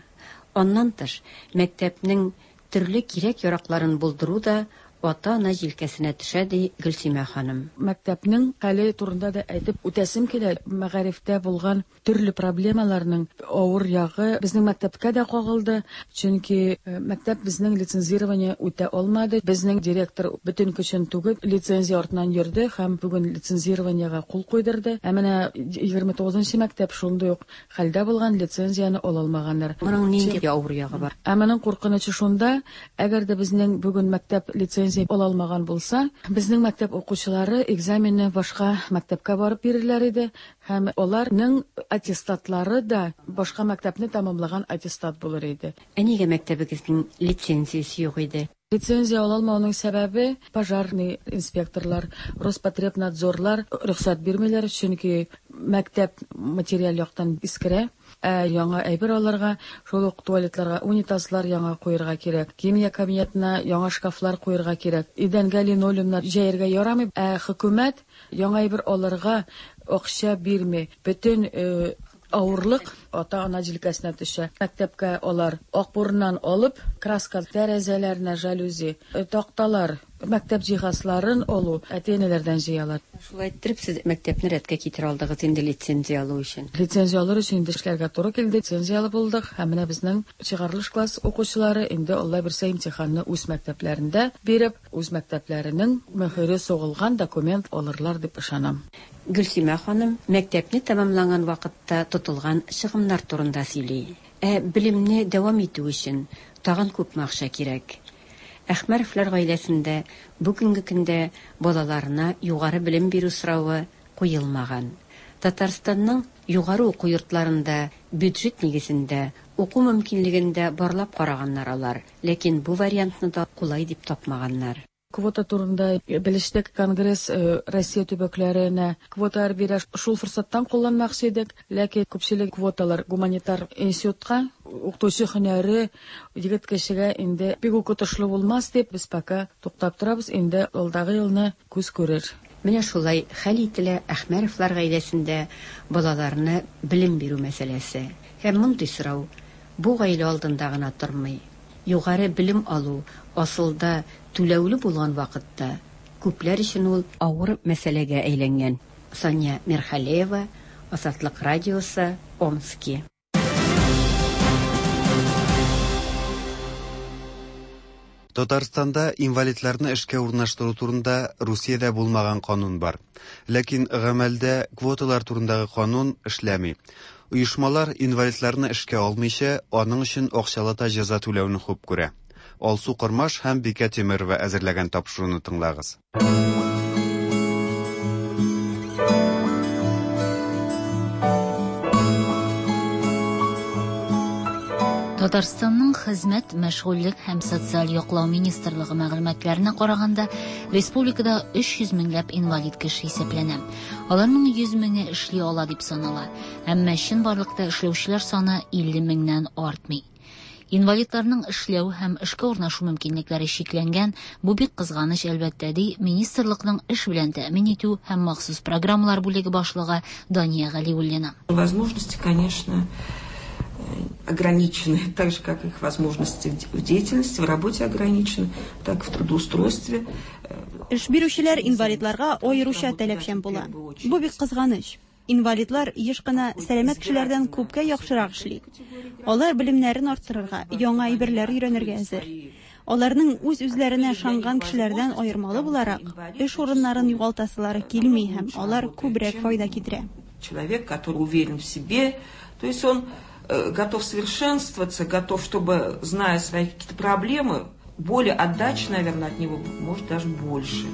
Аннан тыш, мәктәпнең төрле кирәк-яракларын булдыру да ата-ана җилкәсенә төшә, ди Гөлсимә ханым. Мәктәпнең хәле турында да әйтеп үтәсем килә. Мәгарифтә булган төрле проблемаларның авыр ягы безнең мәктәпкә дә кагылды. Чөнки мәктәп безнең лицензирование үтә алмады. Безнең директор бөтен көчен түгеп лицензия артыннан йөрде һәм бүген лицензированиега кул куйдырды. Ә менә егерме тугызынчы мәктәп шундый ук хәлдә булган, лицензияне ала алмаганнар. Моның нинди авыр ягы бар? Ә моның куркынычы шунда, әгәр дә безнең бүген мәктәп лицензия ала алмаган булса, безнең мәктәп укучылары экзаменны башка мәктәпкә барып бирерләр иде һәм аларның аттестатлары да башка мәктәпне тәмамлаган аттестат булыр иде. Ә нигә мәктәбегезнең лицензиясе юк иде? Лицензия ала алмауның сәбәбе пожарный инспекторлар, Роспотребнадзорлар рөхсәт бирмиләр, чөнки мәктәп материаль яктан искерә. Ә яңа әйбер алырга, шул ук туалетларга унитазлар яңа куярга кирәк, химия кабинетына яңа шкафлар куярга кирәк, идәнгә линолеумнар җәяргә ярамый. Ә хөкүмәт яңа әйбер алырга акча бирми. Бөтен авырлык ата-ана җилкәсенә төшә. Мәктәпкә алар акбурыннан алып, краска, тәрәзәләренә жалюзи, такталар, мәктәп җиһазларын алу әти-әниләрдән җыялар. Шулай иттереп, сез мәктәпне рәткә китерә алдыгыз инде лицензия алу өчен. Лицензия алыр өчен инде эшләргә туры килде. Лицензия алып булдык. Һәм менә безнең чыгарылыш класс укучылары инде Алла бирсә имтиханны үз мәктәпләрендә биреп, үз мәктәпләренең мөһере сугылган документ алырлар дип ышанам. Гөлсимә ханым мәктәпне тәмамланган вакытта тотылган чыгымнар турында сөйли. Ә белемне дәвам итү өчен тагын күпме акча кирәк? Әхмәровлар гаиләсендә бүгенге көндә балаларына югары белем бирү соравы куелмаган. Татарстанның югары уку йортларында бюджет нигезендә уку мөмкинлеген дә барлап караганнар алар, ләкин бу вариантны да кулай дип тапмаганнар. Квота турында белештек, Конгресс Россия төбәкләренә квоталар бирә. Шул форсаттан кулланмакчы идек, ләкин күпчелек квоталар гуманитар институтка, укытучы һөнәре егет кешегә инде бик үк отышлы булмас дип без пока туктап торабыз, инде алдагы елны күз күрер. Менә шулай хәл ителә Әхмәровлар гаиләсендә балаларына белем бирү мәсьәләсе. Һәм мондый сорау бу гаилә алдында гына тормый. Югары белем алу асылда түләүле булган вакытта күпләр өчен ул авыр мәсьәләгә әйләнгән. Сания Мирхалеева, Азатлык радиосы, Омски. Татарстанда инвалидларны эшкә урнаштыру турында Русиядә булмаган канун бар. Ләкин гамәлдә квоталар турындагы канун эшләми. Оешмалар инвалидларны эшкә алмыйча, аның өчен акчалата җәза түләүне хуп күрә. Алсу Кормаш һәм Бикә Тимирова әзерләгән тапшыруны тыңлагыз. Татарстанның Хезмәт, мәшгульлек һәм социаль яклау министрлыгы мәгълүматларына караганда, республикада өч йөз меңләп инвалид кеше исәпләнә. Аларның йөз меңе эшли ала дип санала. Әмма чынбарлыкта эшләүчеләр саны илле меңнән артмый. Инвалидларның эшләү һәм эшкә урнашу мөмкинлекләре чикләнгән, бу бик кызганыч, әлбәттә, ди министрлыкның эш белән тәэмин итү һәм махсус программалар бүлеге башлыгы Дания Галиуллина. Возможности, конечно, ограничены, так же, как их возможности в деятельности, в работе ограничены, так и в трудоустройстве. Эш бирүчеләр инвалидларга аеруча таләпчән була. Бу бик кызганыч. Инвалидлар еш кына сәламәт кешеләрдән күпкә яхшырак эшли. Алар белемнәрен арттырырга, яңа әйберләр өйрәнергә әзер. Аларның үз-үзләренә ышанган кешеләрдән аермалы буларак, эш урыннарын югалтасылары килми һәм алар күбрәк файда китерә. Человек, который уверен в себе, то есть он готов совершенствоваться, готов, чтобы, зная свои какие-то проблемы, более отдачи, наверное, от него, может, даже больше.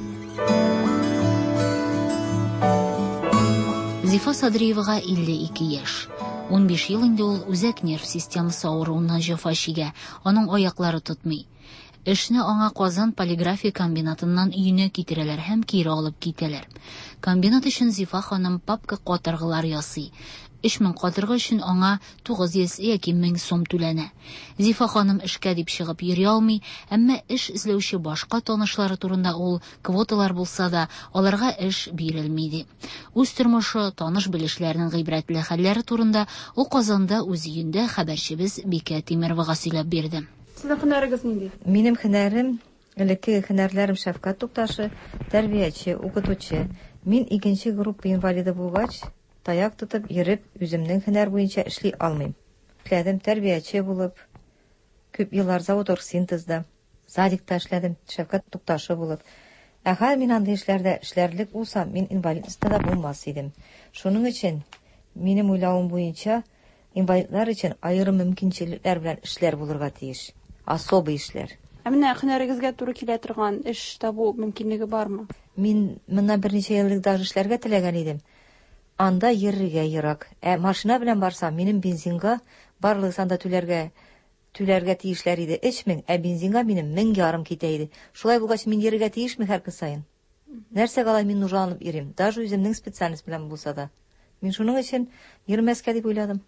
Зифа Садриевага илле ике яшь. Унбиш ел инде ул үзәк нерв системасы авыруыннан җәфа чигә, аның аяклары тотмый. Эшне аңа Казан полиграфия комбинатыннан өенә китерәләр һәм кире алып китәләр. Комбинат өчен Зифа ханым папка катыргылар ясый. Өч мең катыргы өчен аңа тугыз йөз яки мең сум түләнә. Зифа ханым эшкә дип чыгып йөри алмый, әмма эш эзләүче башка танышлары турында ул квоталар булса да, аларга эш бирелми ди. Үз тормышы, таныш белешләренең гыйбрәтле хәлләре турында ул Казанда үз өендә хәбәрчебез Бикә Тимировага сөйләп бирде. Сезнең һөнәрегез нинди? Минем һөнәрем, элекке һөнәрләрем шәфкать тукташы, тәрбияче, укытучы. Мин икенче группа инвалиды булгач, таяк тотып йөреп, үземнең һөнәр буенча эшли алмыйм. Эшләдем тәрбияче булып, күп еллар завод оргсинтезда, садикта эшләдем, шәфкать тукташы булып. Ә хәзер мин андый эшләрдә эшләрлек булсам, мин инвалидностьта да булмас идем. Шуның өчен минем уйлавым буенча инвалидлар өчен аерым мөмкинчелекләр белән эшләр булырга тиеш. Особый эшләр. Ә менә һөнәрегезгә туры килә торган эш табу мөмкинлеге бармы? Мин моннан берничә ел элек даже эшләргә теләгән идем. Анда йөрергә ерак. Ә машина белән барсам, минем бензинга барлыгы санда түләргә түләргә тиешләр иде өч мең, ә бензинга минем мең ярым китә иде. Шулай булгач, мин йөрергә тиешме һәр көн саен? Нәрсәгә алай мин нужаланып йөрим? Даже үземнең специальность белән булса да. Мин шуның өчен йөрмәскә дип уйладым.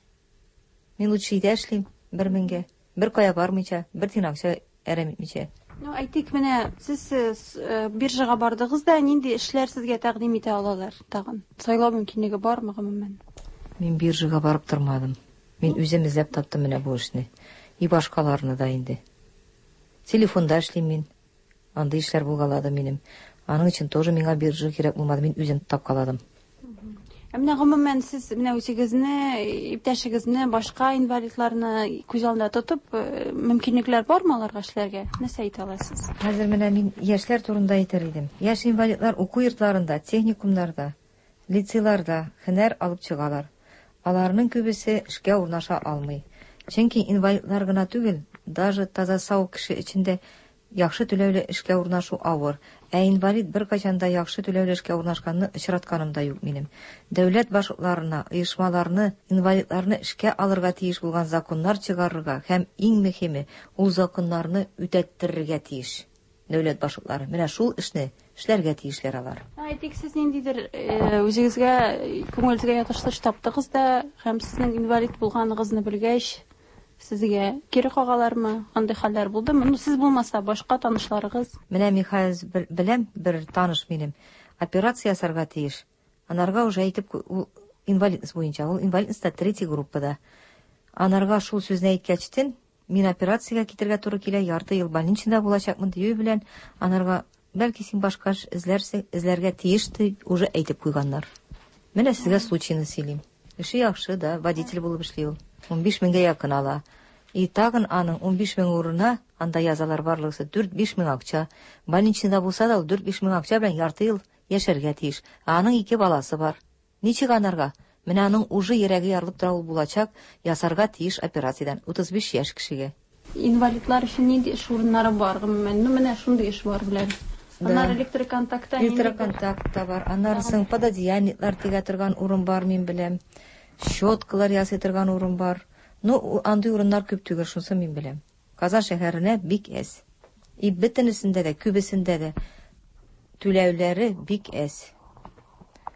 Мин лучше өйдә эшлим бер меңгә. Бер кая бармыйча, бер тиен акча әрәм итмичә. Ну, әйтик, менә сез биржага бардыгыз да, нинди эшләр сезгә тәкъдим итә алалар тагын? Сайлау мөмкинлеге бармы гомумән? Мин биржага барып тормадым. Мин үзем эзләп таптым менә бу эшне. И башкаларны да инде. Телефонда эшлим мин. Андый эшләр булгалады минем. Аның өчен тоже миңа биржа кирәк булмады, мин үзем тапкаладым. Ә менә гомумән сез менә үзегезне, иптәшегезне, башка инвалидларны күз алдында тотып, мөмкинлекләр бармы аларга эшләргә? Нәрсә әйтә аласыз? Хәзер менә мин яшьләр турында әйтер идем. Яшь инвалидлар уку йортларында, техникумнарда, лицейларда һөнәр алып чыгалар. Аларның күбесе эшкә урнаша алмый. Чөнки инвалидлар гына түгел, даже таза сау кеше өчен дә яхшы түләүле эшкә урнашу авыр. Ә инвалид беркайчан да яхшы түләүле эшкә урнашканны очратканым да юк минем. Дәүләт башлыкларына, оешмаларны, инвалидларны эшкә алырга тиеш булган законнар чыгарырга һәм иң мөһиме, ул законнарны үтәттерергә тиеш. Дәүләт башлыклары менә шул эшне эшләргә тиешләр алар. Әйтик, сез ниндидер үзегезгә, күңелегезгә ятышлы эш таптыгыз да һәм сезнең инвалид булганыгызны белгәч, сезгә кире кагалармы? Андый хәлләр булдымы? Ну, сез булмаса, башка танышларыгыз. Менә мин хәзер беләм, бер таныш минем операция ясарга тиеш. Анарга уже әйтеп, ул инвалидность буенча, ул инвалидностьта третья группада. Анарга шул сүзне әйткәчтен, мин операциягә китергә туры килә, ярты ел больничныйда булачакмын дию белән, анарга бәлки син башка эш эзләрсең, эзләргә тиеш дип уже әйтеп куйганнар. Менә сезгә случайны сөйлим. Эше яхшы да, водитель булып эшли ул. Унбиш меңгә якын ала. И тагын аның унбиш мең урынына, анда язалар барлыгысы дүрт-биш мең акча. Больничныйда булса да ул дүрт-биш мең акча белән ярты ел яшәргә тиеш. Ә аның ике баласы бар. Ничек анарга? Менә аның уже йөрәге ярылып тора, ул булачак, ясарга тиеш операциядән. Утыз биш яшь кешегә. Инвалидлар өчен нинди эш урыннары бар гомумән? Ну, менә шундый эш бар белән. Аннары электроконтактта, электроконтактта бар. Аннары соң пододеяльниклар тегә торган урын бар, мин беләм. Щеткалар ясый торган урын бар. Ну, андый урыннар күп түгел, шунысы мин беләм. Казан шәһәренә бик әз. И бөтенесендә дә, күбесендә дә түләүләре бик әз.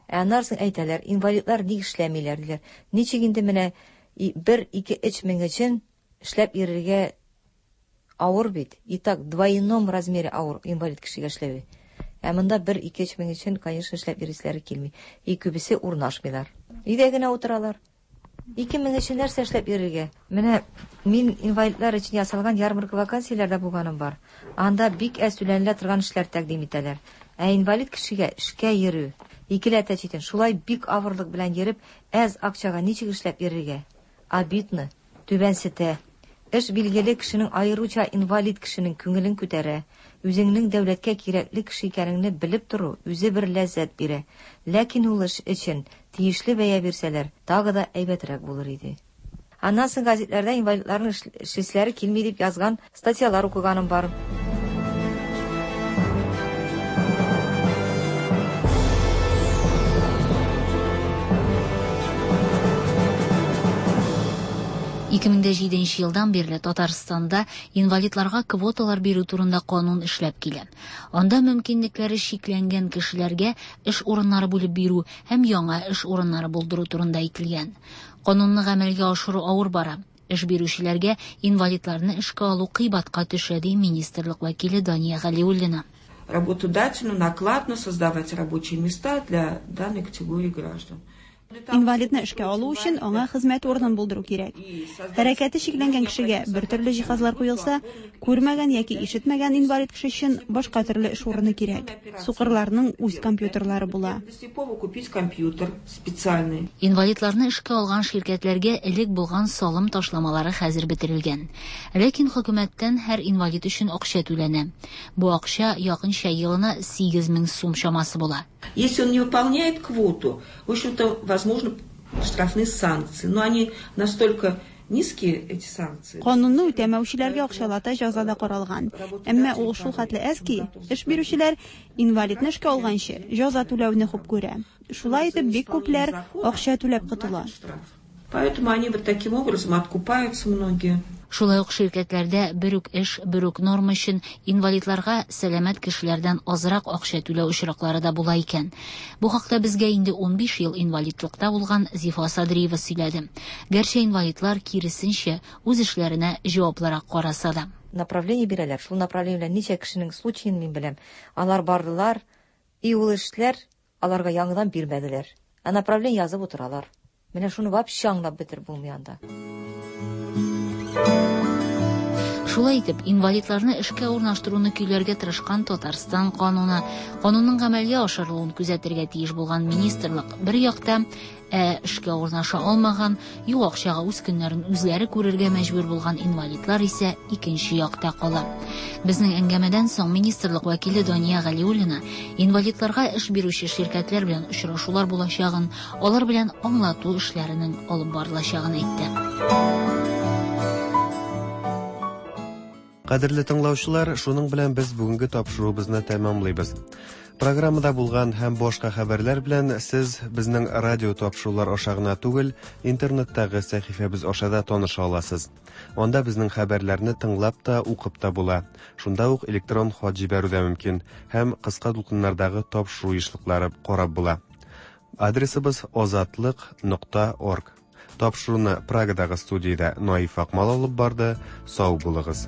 Ә аннары соң әйтәләр, инвалидлар ник эшләмиләр диләр. Ничек инде менә бер, ике, өч мең өчен эшләп йөрергә авыр бит. И так двойном размере авыр инвалид кешегә эшләве. Ә монда бер, ике, өч мең өчен, конечно, эшләп йөрүселәре килми. И күбесе урнашмыйлар. Өйдә генә утыралар. Ике мең өчен нәрсә эшләп йөрергә? Менә мин инвалидлар өчен ясалган ярмарка вакансияләрдә булганым бар. Анда бик әз түләнелә торган эшләр тәкъдим итәләр. Ә инвалид кешегә эшкә йөрү икеләтә читен. Шулай бик авырлык белән йөреп, әз акчага ничек эшләп йөрергә? Обидно, түбәнсетә. Эш билгеле кешенең, аеруча инвалид кешенең күңелен күтәрә. Үзеңнең дәүләткә кирәкле кеше икәнеңне белеп тору үзе бер ләззәт бирә. Ләкин ул эш өчен тиешле бәя бирсәләр, тагы да әйбәтрәк булыр иде. Аннан соң газетләрдә инвалидларның эшләре килми дип язган статьялар укыганым бар. ике мең дә җиденче елдан бирле Татарстанда инвалидларга квоталар бирү турында канун эшләп килә. Анда мөмкинлекләре чикләнгән кешеләргә эш урыннары бүлеп бирү һәм яңа эш урыннары булдыру турында әйтелгән. Канунны гамәлгә ашыру авыр бара. Эш бирүчеләргә инвалидларны эшкә алу кыйбатка төшә, ди министрлык вәкиле Дания Галиуллина. Работодателю накладно создавать рабочие места для данной категории граждан. Инвалидны эшкә алу өчен аңа хезмәт урынын булдыру кирәк. Хәрәкәте чикләнгән кешегә бер төрле җиһазлар куелса, күрмәгән яки ишетмәгән инвалид кеше өчен башка төрле эш урыны кирәк. Сукырларның үз компьютерлары була. Инвалидларны эшкә алган ширкәтләргә элек булган салым ташламалары хәзер бетерелгән. Ләкин хөкүмәттән һәр инвалид өчен акча түләнә. Бу акча якынча елына сигез мең сум чамасы була. Если он не выполняет квоту, в общем-то, возможно, штрафные санкции, но они настолько низкие, эти санкции. Канунны үтәмәүчеләргә акчалата җәза да каралган. Әмма ул шул хәтле әз ки, эш бирүчеләр инвалидны эшкә алганчы җәза түләүне хуп күрә. Шулай итеп бик күпләр акча түләп котыла. Поэтому они вот таким образом откупаются многие. Шулай ук ширкәтләрдә бер үк эш, бер үк норма өчен инвалидларга сәламәт кешеләрдән азрак акча түләү очраклары да була икән. Бу хакта безгә инде унбиш ел инвалидлыкта булган Зифа Садриева сөйләде. Гәрчә инвалидлар киресенчә үз эшләренә җаваплырак караса да. Направление бирәләр. Шул направление белән ничә кешенең случаен мин беләм. Алар бардылар, и ул эшләр аларга яңадан бирмәделәр. Ә направление язып утыралар. Менә шуны вообще аңлап бетереп булмый анда. Шулай итеп, инвалидларны эшкә урнаштыруны көйләргә тырышкан Татарстан кануны, канунның гамәлгә ашырылуын күзәтергә тиеш булган министрлык бер якта, ә эшкә урнаша алмаган, юк акчага үз көннәрен үзләре күрергә мәҗбүр булган инвалидлар исә икенче якта кала. Безнең әңгәмәдән соң министрлык вәкиле Дания Галиуллина инвалидларга эш бирүче ширкәтләр белән очрашулар булачагын, алар белән аңлату эшләренең алып барылачагын әйтте. Кадерле тыңлаучылар, шуның белән без бүгенге тапшыруыбызны тәмамлыйбыз. Программада булган һәм башка хәбәрләр белән сез безнең радио тапшырулар аша гына түгел, интернеттагы сәхифәбез аша да таныша аласыз. Анда безнең хәбәрләрне тыңлап та, укып та була. Шунда ук электрон хат җибәрү дә мөмкин һәм кыска дулкыннардагы тапшыру ешлыклары карап була. Адресыбыз озатлык нокта орг. Тапшыруны Прагадагы студиядә Наиф Акмал алып барды. Сау булыгыз.